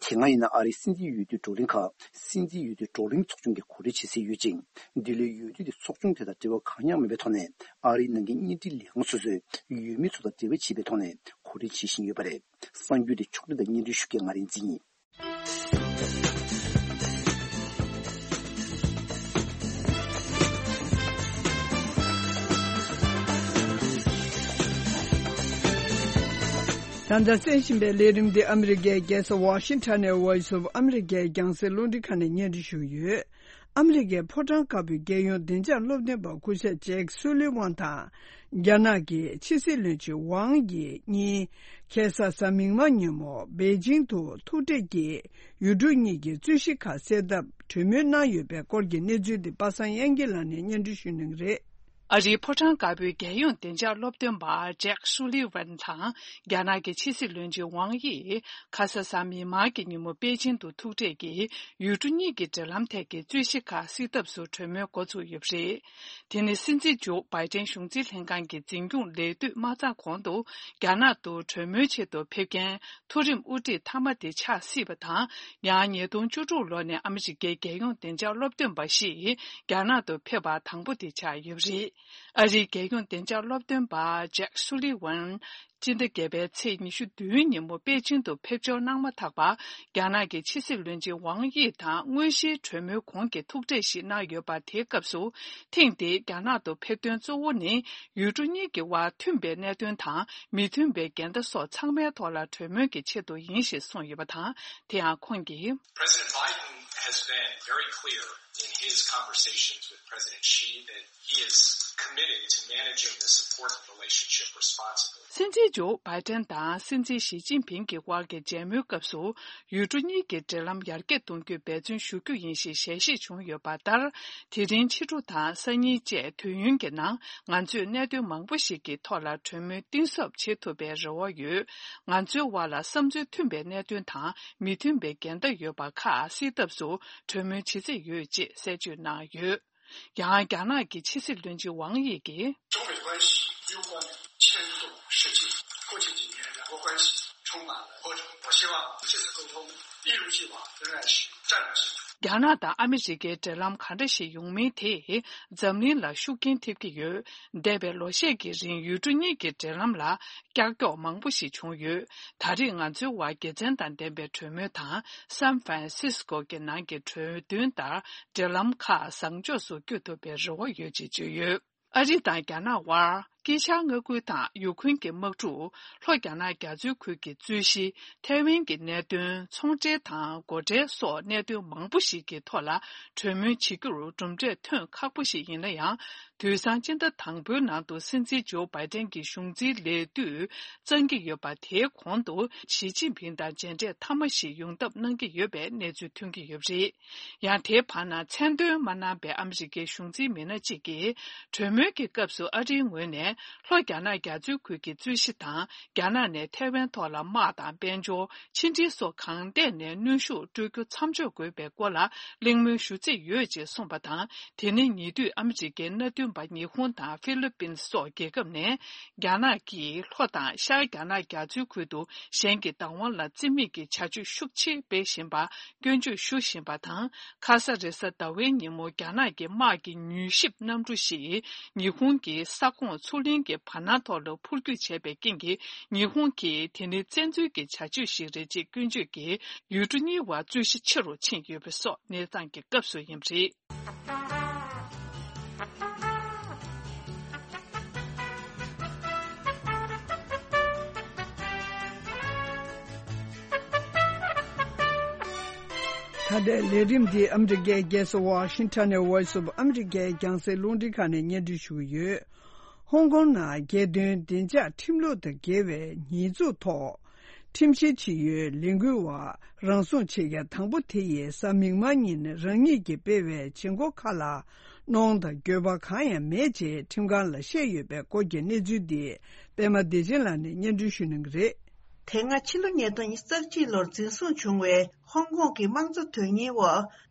དེ་སྔ་ཡིན་ན་ཨ་རིའི་སྲིད་འཛིན་འོས་བསྡུའི་བགྲོ་གླེང་ཁག་སྲིད་འཛིན་འོས་བསྡུའི་བགྲོ་གླེང་ཚོགས་ཆུང་གིས་གོ་སྒྲིག་བྱེད་སྲོལ་ཡོད་ཅིང་། འདི་ལོའི་འོས་བསྡུ་དེ་ཚོགས་ཆུང་དེ་དང་འབྲེལ་བ་གང་ཡང་མེད་པའི་ཐོག་ནས་ཨ་རིའི་ནང་གི་བརྙན་འཕྲིན་ལས་ཁང་སོ་སོས་འོས་མི་ཚོ་དང་འབྲེལ་བ་བྱེད་པའི་ཐོག་ནས་གོ་སྒྲིག་བྱེད་བཞིན་ཡོད་པ་རེད། གསར་འགྱུར་དེ་ཕྱོགས་སྒྲིག་དང་སྙན་སྒྲོན་ཞུ་མཁན་ང་རིག་འཛིན་ཡིན། ད་ལྟ་གསན་བཞིན་པའི་ལས་རིམ་འདི་ཨ་མི་རི་ཀའི་རྒྱལ་ས་ཝ་ཤིང་ཊོན་ནས་Voice of America རྒྱང་སྲིང་རླུང་འཕྲིན་ཁང་ནས་སྙན་སྒྲོན་ཞུ་གི་ཡོད། ཨ་མི་རི་ཀའི་ཕོ་བྲང་དཀར་པོའི་རྒྱལ་ཡོངས་བདེ་འཇགས་སློབ་སྟོན་པ་སྐུ་ཞབས་ཇེག་སུ་ལི་ཝན་དང་། རྒྱ་ནག་གི་ཕྱི་སྲིད་བློན་ཆེན་ཝང་དབྱི་གཉིས་ཁ་སང་གཟའ་མིག་དམར་ཉིན་མོ་པེ་ཅིང་དུ་ཐུག་འཕྲད་ཀྱིས་ཡུལ་གྲུ་གཉིས་ཀྱི་རྩོད་གཞི་ཁག་སེལ་ཐབས་གྲོས་མོལ་གནང་ཡོད་པའི་སྐོར་གྱི་གནས་ཚུལ་དེ་པ་སངས་དབྱངས་སྐྱིད་ལགས་ནས་སྙན་སྒྲོན་ཞུ་གནང་གི་རེད། ཨ་རིའི་ཕོ་བྲང་དཀར་པོའི་རྒྱལ་ཡོངས་བདེ་འཇགས་སློབ་སྟོན་པ་ཇེག་སུ་ལི་ཝན་དང་རྒྱ་ནག་གི་ཕྱི་སྲིད་བློན་ཆེན་ཝང་དབྱི་ཁ་སང་གཟའ་མིག་དམར་གྱི་ཉིན་མོ་པེ་ཅིང་དུ་ཐུག་འཕྲད་ཀྱིས་ཡུལ་གྲུ་གཉིས་ཀྱི་འབྲེལ་ལམ་ཐད་ཀྱི་རྩོད་གཞི་ཁག་སེལ་ཐབས་སུ་གྲོས་མོལ་འགོ་ཚུགས་ཡོད་པ་རེད། དེ་ནི་སྲིད་འཛིན་ཇོ་བྷའི་ཏན་གཞུང་འཛིན་ལྷན་ཁང་གི་འཛིན་སྐྱོང་ལས་དུས་མ་ཚང་གོང་དུ་རྒྱ་ནག་ཏུ་གྲོས་མོལ་ཆེད་དུ་ཕེབས་མཁན་མཐོ་རིམ་དབུ་ཁྲིད་མཐའ་མ་དེ་ཆགས་སྲིད་པ་དང་། ཡང་ཉིས་སྟོང་བཅུ་དྲུག་ལོ་ནས་ཨ་མི་རི་ཀའི་རྒྱལ་ཡོངས་བདེ་འཇགས་སློབ་སྟོན་པ་ཞིག་རྒྱ་ནག་ཏུ་ཕེབས་པ་དང་པོ་དེ་ཆགས་ཡོད་པ་རེད། ཨ་རིའི་རྒྱལ་ཡོངས་བདེ་འཇགས་སློབ་སྟོན་པ་ཇེག་སུ་ལི་ཝན་སྤྱི་ཟླ་བརྒྱད་པའི་ཚེས་ཉི་ཤུ་བདུན་ཉིན་མོ་པེ་ཅིང་དུ་ཕེབས་འབྱོར་གནང་མ་ཐག་པར་རྒྱ་ནག་གི་ཕྱི་སྲིད་བློན་ཆེན་ཝང་དབྱི་དང་དངོས་གཞིའི་གྲོས་མོལ་གོང་གི་ཐུག་འཕྲད་ཞིག་གནང་ཡོད་པ། དེའི་སྐབས་སུ་ཐེངས་འདིའི་རྒྱ་ནག་ཏུ་ཕེབས་དོན་གཙོ་བོ་ནི་ཡུལ་གྲུ་གཉིས་ཀྱི་དབར་མཐུན་པའི་གནད་དོན་དང་མི་མཐུན་པའི་འགལ་ཟླ་སོགས་ཚང་མའི་ཐོག་ལ་གྲོས་མོལ་གྱི་ཆེད་དུ་ཡིན་ཞེས་གསུངས་ཡོད་པ་དང་། དེ་ཡང་ཁོང་གིས། President Biden has been very clear in his conversations with President Xi that he is committed to managing the support relationship responsibly. སྲིད་འཛིན་ཇོ་བྷའི་ཏན་དང་སྲིད་འཛིན་ཞི་ཅིན་ཕིང་གི་དབར་གྱི་མཇལ་མོལ་སྐབས་སུ། ཡུལ་གྲུ་གཉིས་ཀྱི་འབྲེལ་ལམ་ཡར་རྒྱས་གཏོང་རྒྱུའི་འབད་བརྩོན་ཞུ་རྒྱུ་ཡིན་ཞེས་ཞལ་བཞེས་བྱུང་ཡོད་པ་ལྟར། དེ་རིང་ཕྱི་དྲོ་དང་སང་ཉིན་བཅས་དུས་ཡུན་གྱི་ནང་ང་ཚོས་གནད་དོན་མང་པོ་ཞིག་གི་ཐོག་ལ་གྲོས་མོལ་གཏིང་ཟབ་བྱེད་ཐུབ་པའི་རེ་བ་ཡོད། ང་ཚོའི་དབར་ལ་བསམ་ཚུལ་མཐུན་པའི་གནད་དོན་དང་མི་མཐུན་པའི་འགལ་ཟླ་ཡོད་པ་ཁག་སེལ་ཐབས་སུ་གྲོས་མོལ་བྱེད་རྩིས་ཡོད་ཅེས་གསལ་བརྗོད་གནང་ཡོད། ཡང་རྒྱ་ནག་གི་ཕྱི་སྲིད་བློན་ཆེན་ཝང་དབྱི་གིས། 中美关系攸关千冬世纪，过去几年两国关系充满了波折，我希望这次沟通一如既往仍然是战略性的。རྒྱ་ནག་དང་ཨ་མི་རི་ཀའི་འབྲེལ་ལམ་ག་འདྲ་ཞིག་ཡོང་མིན་དེས་འཛམ་གླིང་ལ་ཤུགས་རྐྱེན་ཐེབས་ཀྱི་ཡོད། འདས་པའི་ལོ་ཤས་ཀྱི་རིང་ཡུལ་གྲུ་གཉིས་ཀྱི་འབྲེལ་ལམ་ལ་ཀྱག་ཀྱོག་མང་པོ་ཞིག་བྱུང་ཡོད། ད་རེས་ང་ཚོའི་དབར་དགེ་མཚན་དང་ལྡན་པའི་གྲོས་མོལ་དང་སན་ཧྥ་རན་སིས་ཀོ་གི་ནང་གི་གྲོས་མཐུན་ལྟར་འབྲེལ་ལམ་ཁག་བཟང་ཕྱོགས་སུ་བསྐྱོད་ཐུབ་པའི་རེ་བ་ཡོད་ཅེས་བརྗོད་ཡོད། ཨ་རི་དང་རྒྱ་ནག་དབར་དཀྱིལ་ཤར་མངའ་ཁུལ་དང་ཡུ་ཁུན་གྱི་དམག་འཁྲུག་ལྷོ་རྒྱ་ནག་རྒྱ་མཚོའི་ཁུལ་གྱི་རྩོད་གཞི། ཐའེ་ཝན་གྱི་གནད་དོན། ཚོང་འབྲེལ་དང་སྒོ་ཁྲལ་སོགས་གནད་དོན་མང་པོ་ཞིག་གི་ཐོག་ལ་གྲོས་མོལ་བྱེད་རྒྱུར་གྲུབ་འབྲས་ཐོན་ཁག་པོ་ཞིག་ཡིན་ན་ཡང་། དུས་སང་སྤྱི་ཟླ་དང་པོའི་ནང་དུ་སྲིད་འཛིན་ཇོ་བྷའི་ཏན་གྱི་གཞུང་འཛིན་ལས་དུས་གཙང་གི་ཡོད་པ། དེའི་གོང་དུ་ཞི་ཅིན་ཕིང་དང་མཇལ་འཕྲད་མཐའ་མ་ཞིག་ཡོང་ཐབས་གནང་གི་ཡོད་པའི་གནས་ཚུལ་ཐོན་གྱི་ཡོད་པ་རེད། ཡང་དེའི་བར་ན་མཚན་འདོན་མ་གནང་པའི་ཨ་མི་རི་ཀའི་གཞུང་འཛིན་མི་སྣ་གཅིག་གིས། གྲོས་མོལ་གྱི་སྐབས་སུ་ཨ་རིའི་ངོས་ནས་ལྷོ་རྒྱ་ནག་རྒྱ་མཚོའི་ཁུལ་གྱི་རྩོད་གཞི་དང་། རྒྱ་ནག་ནས་ཐའེ་ཝན་ཐོག་ལ་དམག་དང་དཔལ་འབྱོར། ཕྱི་འབྲེལ་སོགས་གང་ཐད་ནས་གནོན་ཤུགས་སྤྲོད་རྒྱུ་མཚམས་འཇོག་དགོས་པའི་སྐོར་ལ་གླེང་མོལ་ཞུ་རྩིས་ཡོད་ཅེས་གསུངས་པ་དང་། དེ་ནི་ཉེ་དུས་ཨ་མི་རི་ཀའི་མནའ་མཐུན་པ་ཉི་ཧོང་དང་ཧྥི་ལི་པིན་སོགས་རྒྱལ་ཁབ་ནས། རྒྱ་ནག་གིས་ལྷོ་དང་ཤར་རྒྱ་ནག་རྒྱ་མཚོའི་ཁུལ་དུ་གཞན་གྱི་བདག་དབང་ལ་བརྩི་མེད་ཀྱི་བྱ་སྤྱོད་ཤུགས་ཆེ་སྤེལ་བཞིན་པ་སྐྱོན་བརྗོད་ཞུ་བཞིན་པ་དང་། ཁ་ས་རེས་གཟའ་ཟླ་བའི་ཉིན་མོ་རྒྱ་ནག་གི་དམག་གི་མྱུལ་ཞིབ་གནམ་གྲུ་ཞིག་ཉི་ཧོང་གི་ས་ཁོངས་མཚོ་གླིང་གི་བར་སྣང་ཐོག་ལ་འཕུར་སྐྱོད་བྱས་པའི་རྐྱེན་གྱིས། ཉི་ཧོང་གིས་དེ་ནི་བཙན་འཛུལ་གྱི་བྱ་སྤྱོད་ཞིག་རེད་ཅེས་སྐྱོན་བརྗོད་ཀྱིས་ཡུལ་གྲུ་གཉིས་བར་རྩོད་གཞི་ཆེ་རུ་ཕྱིན་ཡོད་པ་སོགས་གནས་སྟངས་ཀྱི་སྐབས་སུ་ཡིན་པ་རེད། ད་ལྟའི་ལས་རིམ་འདི་ཨ་མི་རི་ཀའི་རྒྱལ་ས་ཝ་ཤིང་ཊོན་ནས་Voice of America རྒྱང་སྲིང་རླུང་འཕྲིན་ཁང་ནས་སྙན་སྒྲོན་ཞུ་གི་ཡོད། ཧོང་ཀོང་ནང་རྒྱལ་དོན་བདེ་འཇགས་ཁྲིམས་ལུགས་དང་འགལ་བའི་ཉེས་འཛུགས་ཐོག་ཁྲིམས་བཤེར་བྱེད་ཡུལ་ལས་འགུལ་བ་རང་སྲུང་བྱེད་མཁན་དང་པོ་དེ་ཡིས་གཟའ་མིག་དམར་ཉིན་རང་ཉིད་ཀྱིས་སྤེལ་བའི་བྱེད་སྒོ་ཁག་ལ་གནོང་དང་འགྱོད་པ་གང་ཡང་མེད་ཅེས་ཁྲིམས་ཁང་ལ་བཤད་ཡོད་པའི་སྐོར་གྱི་གནས་ཚུལ་འདི་པད་མ་བདེ་ཆེན་ལགས་ནས་སྙན་སྒྲོན་ཞུ་གནང་གི་རེད། དེ་སྔ་ཕྱི་ལོ་ཉིས་སྟོང་ཉི་ཤུ་རྩ་གཅིག་ལོར་འཛིན་བཟུང་བྱུང་བའི་ཧོང་ཀོང་གི་དམངས་གཙོ་དོན་གཉེར་བ་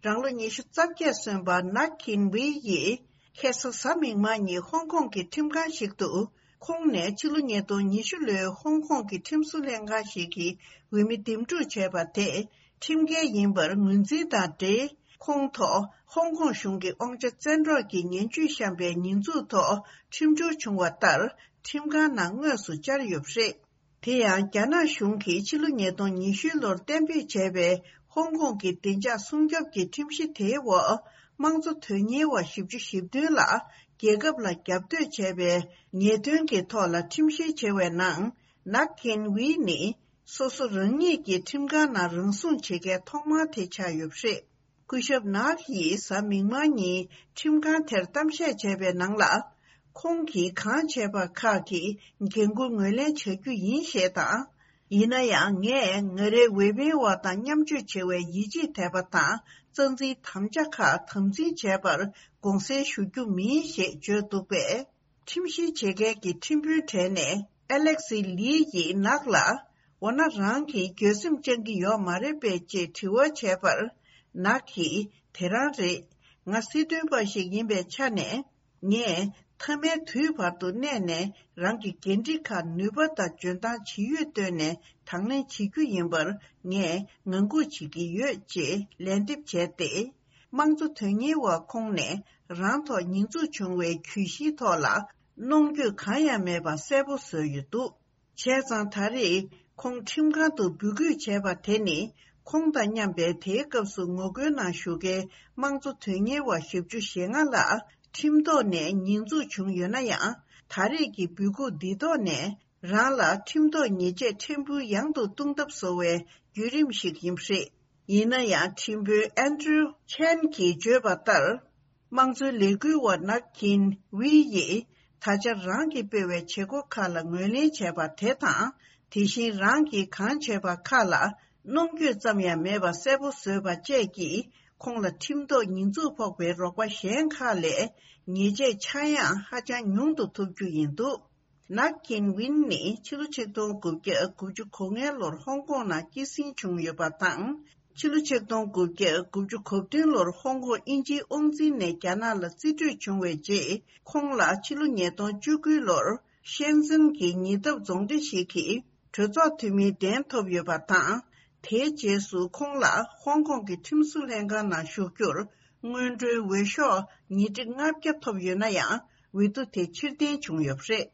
རང་ལོ་ཉི་ཤུ་རྩ་བརྒྱད་སོན་པ་ནག་ཁིན་ཝེ་ཡིས། ཁ་སང་གཟའ་མིག་དམར་ཉིན་ཧོང་ཀོང་གི་ཁྲིམས་ཁང་ཞིག་ཏུ། ཁོང་ནས་ཕྱི་ལོ་ཉིས་སྟོང་ཉི་ཤུ་ལོའི་ཧོང་ཀོང་གི་ཁྲིམས་བཟོ་ལྷན་ཁང་ཞིག་གི་འོས་མི་འདེམས་སྒྲུག་བྱས་པ་དེ་ཁྲིམས་འགལ་ཡིན་པར་ངོས་འཛིན་དང་འབྲེལ། ཁོང་ཐོག་ཧོང་ཀོང་གཞུང་གི་དབང་ཆ་བཙན་འཕྲོག་གི་ངན་ཇུས་བཤམས་པའི་ཉེས་འཛུགས་ཐོག་ཁྲིམས་སྦྱོར་བྱུང་བ་ལྟར་ཁྲིམས་ཁང་ནང་དངོས་སུ་བཅར་ཡོད་པ་རེད། དེ་ཡང་རྒྱ་ནག་གཞུང་གིས་ཕྱི་ལོ་ཉིས་སྟོང་ཉི་ཤུ་ལོར་གཏན་འབེབས་བྱས་པའི་ཧོང་ཀོང་གི་བདེ་འཇགས་སྲུང་སྐྱོབ་ཀྱི་ཁྲིམས་གཞི་དེའི་འོག་དམངས་གཙོ་དོན་གཉེར་བ་བཞི་བཅུ་ཞེ་བདུན་ལ་རྒྱལ་ཁབ་ལ་རྒྱབ་གཏོད་བྱས་པའི་ཉེས་དོན་གྱི་ཐོག་ལ་ཁྲིམས་བཤེར་བྱས་པའི་ནང་ནག་ཁེན་ཝི་ནི་སོ་སོ་རང་ཉིད་ཀྱི་ཁྲིམས་ཁང་ནང་རང་སྲུང་བྱེད་མཁན་ཐོག་མ་དེ་ཆགས་ཡོད་པ་རེད། སྐུ་ཞབས་ནག་ཡིས་གཟའ་མིག་དམར་ཉིན་ཁྲིམས་ཁང་དེར་གཏམ་བཤད་བྱས་པའི་ནང་ལ། ཁོང་གིས་གང་བྱས་པ་ཁག་གི་འགན་འཁུར་ངོས་ལེན་བྱ་རྒྱུ་ཡིན་ཞེས་དང་། ཡིན་ན་ཡང་ངས་ང་རའི་འོས་འཕེན་པ་དང་མཉམ་སྤྱོད་བྱ་བའི་ཡིད་ཆེས་དད་པ་དང་རྩ་འཛིན་དམ་བཅའ་ཁག་དམ་འཛིན་བྱས་པར་དགོངས་སེལ་ཞུ་རྒྱུ་མིན་ཞེས་བརྗོད་འདུག་པས། ཁྲིམས་བཤེར་བྱེད་མཁན་གྱི་ཁྲིམས་དཔོན་གྲས་ནས་ཨ་ལེག་སི་ལི་ཡིས་ནག་ལ། འོ་ན་རང་གིས་འགྱོད་སེམས་བཅང་གི་ཡོད་མ་རེད་པས་ཅེས་དྲི་བ་བྱས་པར། ནག་གིས་དེ་རང་རེད། ང་སྲིད་དོན་པ་ཞིག་ཡིན་པའི་ཆ་ནས། ངས་མཐའ་མའི་དུས་བར་དུ་གནས་ནས་རང་གི་འགན་འཁྲི་ཁག་ནུས་པ་དང་འཇོན་ཐང་ཇི་ཡོད་བཏོན་ནས་དང་ལེན་བྱེད་རྒྱུ་ཡིན་པར་ངས་ངང་སྒུག་བྱེད་ཀྱི་ཡོད་ཅེས་ལན་འདེབས་བྱས་ཏེ། དམངས་གཙོ་དོན་གཉེར་བ་ཁོང་ནས་རང་ཐོག་ཉེས་འཛུགས་བྱུང་བའི་གྱོད་གཞིའི་ཐོག་ལ་གནོང་འགྱོད་གང་ཡང་མེད་པ་གསལ་པོ་བཟོས་ཡོད་འདུག་བྱས་ཙང་ད་རེས་ཁོང་ཁྲིམས་ཁང་དུ་འབོད་སྐུལ་བྱས་པ་དེ་ནི་ཁོང་དང་མཉམ་པའི་དེའི་སྐབས་སུ་ངོ་རྒོལ་ནང་ཞུགས་མཁན་དམངས་གཙོ་དོན་གཉེར་བ་ཞེ་བཅུ་ཞེ་ལྔ་ལ་ཁྲིམས་ཐོག་ནས་ཉེས་འཛུགས་བྱུང་ཡོད་ན་ཡང་། ད་རེས་ཀྱི་འབོད་འགུག་འདི་ཐོག་ནས་རང་ལ་ཁྲིམས་ཐོག་ཉེས་ཆད་ཕྲན་བུ་ཡང་དུ་གཏོང་ཐབས་བཟོ་བའི་བརྒྱུད་རིམ་ཞིག་ཡིན་པ་རེད། ཡིན་ན་ཡང་ཁྲིམས་དཔོན་ཨན་ཌྲུ་ཆན་གྱིས་བརྗོད་པ་ལྟར། དམངས་གཙོའི་ལས་འགུལ་བ་ནག་ཀིན་ཝི་ཡིས་ད་ཆ་རང་གིས་སྤེལ་བའི་བྱེད་སྒོ་ཁག་ལ་ངོས་ལེན་བྱས་པ་དེ་དང་། དེ་བཞིན་རང་གིས་གང་བྱས་པ་ཁག་ལ་གནོང་འགྱོད་ཙམ་ཡང་མེད་པ་གསལ་པོ་བཟོས་པ་བཅས་ཀྱིས་ཁོང་ལ་ཁྲིམས་ཐོག་ཉེས་འཛུགས་ཕོག་པའི་རོགས་པ་གཞན་ཁག་ལས་ཉེས་ཆད་ཆག་ཡང་ཧ་ཅང་ཉུང་དུ་ཐོབ་རྒྱུ་ཡིན་འདུག་ནག་ཀིན་ཝིན་ནི་ཕྱི་ལོ་ཆིག་སྟོང་དགུ་བརྒྱ་དགུ་བཅུ་གོ་ལྔའི་ལོར་ཧོང་ཀོང་ནང་སྐྱེད་སྲིང་བྱུང་ཡོད་པ་དང་། ཕྱི་ལོ་ཆིག་སྟོང་དགུ་བརྒྱ་དགུ་བཅུ་གོ་བདུན་ལོར་ཧོང་ཀོང་དབྱིན་ཇིའི་དབང་འཛིན་ནས་རྒྱ་ནག་ལ་རྩིས་སྤྲོད་བྱུང་བའི་རྗེས། ཁོང་ལ་ཕྱི་ལོ་ཉིས་སྟོང་བཅུ་དགུ་ལོར་ཤན་ཙེན་གྱི་ཉེ་འདབས་རྫོང་སྡེ་ཞིག་གི་གྲོས་ཚོགས་འཐུས་མིའི་གདན་ཐོབ་ཡོད་པ་དང་། དེའི་རྗེས་སུ་ཁོང་ལ་ཧོང་ཀོང་གི་ཁྲིམས་བཟོ་ལྷན་ཁང་ནང་ཞུགས་རྒྱུར་སྔོན་འགྲོའི་འོས་ཤོག་ཉིས་ཁྲི་ལྔ་བརྒྱ་ཐོབ་ཡོད་ན་ཡང་། འོས་བསྡུ་དེ་ཕྱིར་འཐེན་བྱུང་ཡོད་པ་རེད།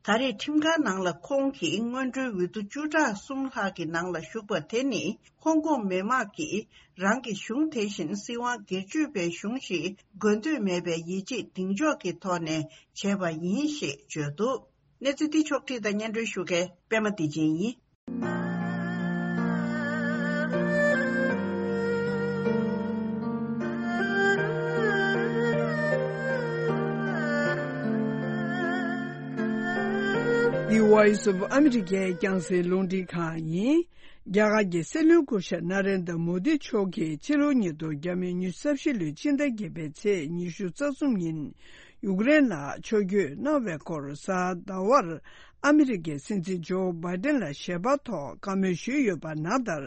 ད་རེས་ཁྲིམས་ཁང་ནང་ལ་ཁོང་གིས་སྔོན་འགྲོའི་འོས་བསྡུ་བཅུ་ཕྲག་གསུམ་ལྷག་གི་ནང་ལ་ཞུགས་པ་དེ་ནི། ཧོང་ཀོང་མི་དམངས་ཀྱིས་རང་གི་གཞུང་དེ་བཞིན་སྲིད་དབང་སྒེར་གཅོད་པའི་གཞུང་ཞིག་དགོས་འདོད་མེད་པའི་ཡིད་ཆེས་གདེང་འཇོག་གི་ཐོག་ནས་བྱས་པ་ཡིན་ཞེས་བརྗོད་འདུག་གནས་ཚུལ་འདི་ཕྱོགས་བསྒྲིགས་དང་སྙན་སྒྲོན་ཞུ་མཁན་པད་མ་བདེ་ཆེན་ཡིན། འདི་Voice of America་རྒྱང་སྲིང་རླུང་འཕྲིན་ཁང་ཡིན། རྒྱ་གར་གྱི་སྲིད་བློན་སྐུ་ཞབས་ན་རེན་དྲ་མོ་དི་མཆོག་གིས་ཕྱི་ལོ་ཉིས་སྟོང་ཉི་ཤུ་རྩ་བཞི་ལོའི་ཕྱི་ཟླ་བརྒྱད་པའི་ཚེས་ཉི་ཤུ་རྩ་གསུམ་ཉིན། ཡུཀ་རེན་ལ་ཕྱོགས་བསྐྱོད་གནང་བའི་སྐོར་གཟའ་ཟླ་བར་ཨ་མི་རི་ཀའི་སྲིད་འཛིན་ཇོ་བྷའི་ཏན་ལ་ཞལ་པར་ཐོག་བཀའ་མོལ་ཞུས་ཡོད་པ་ནང་ལྟར།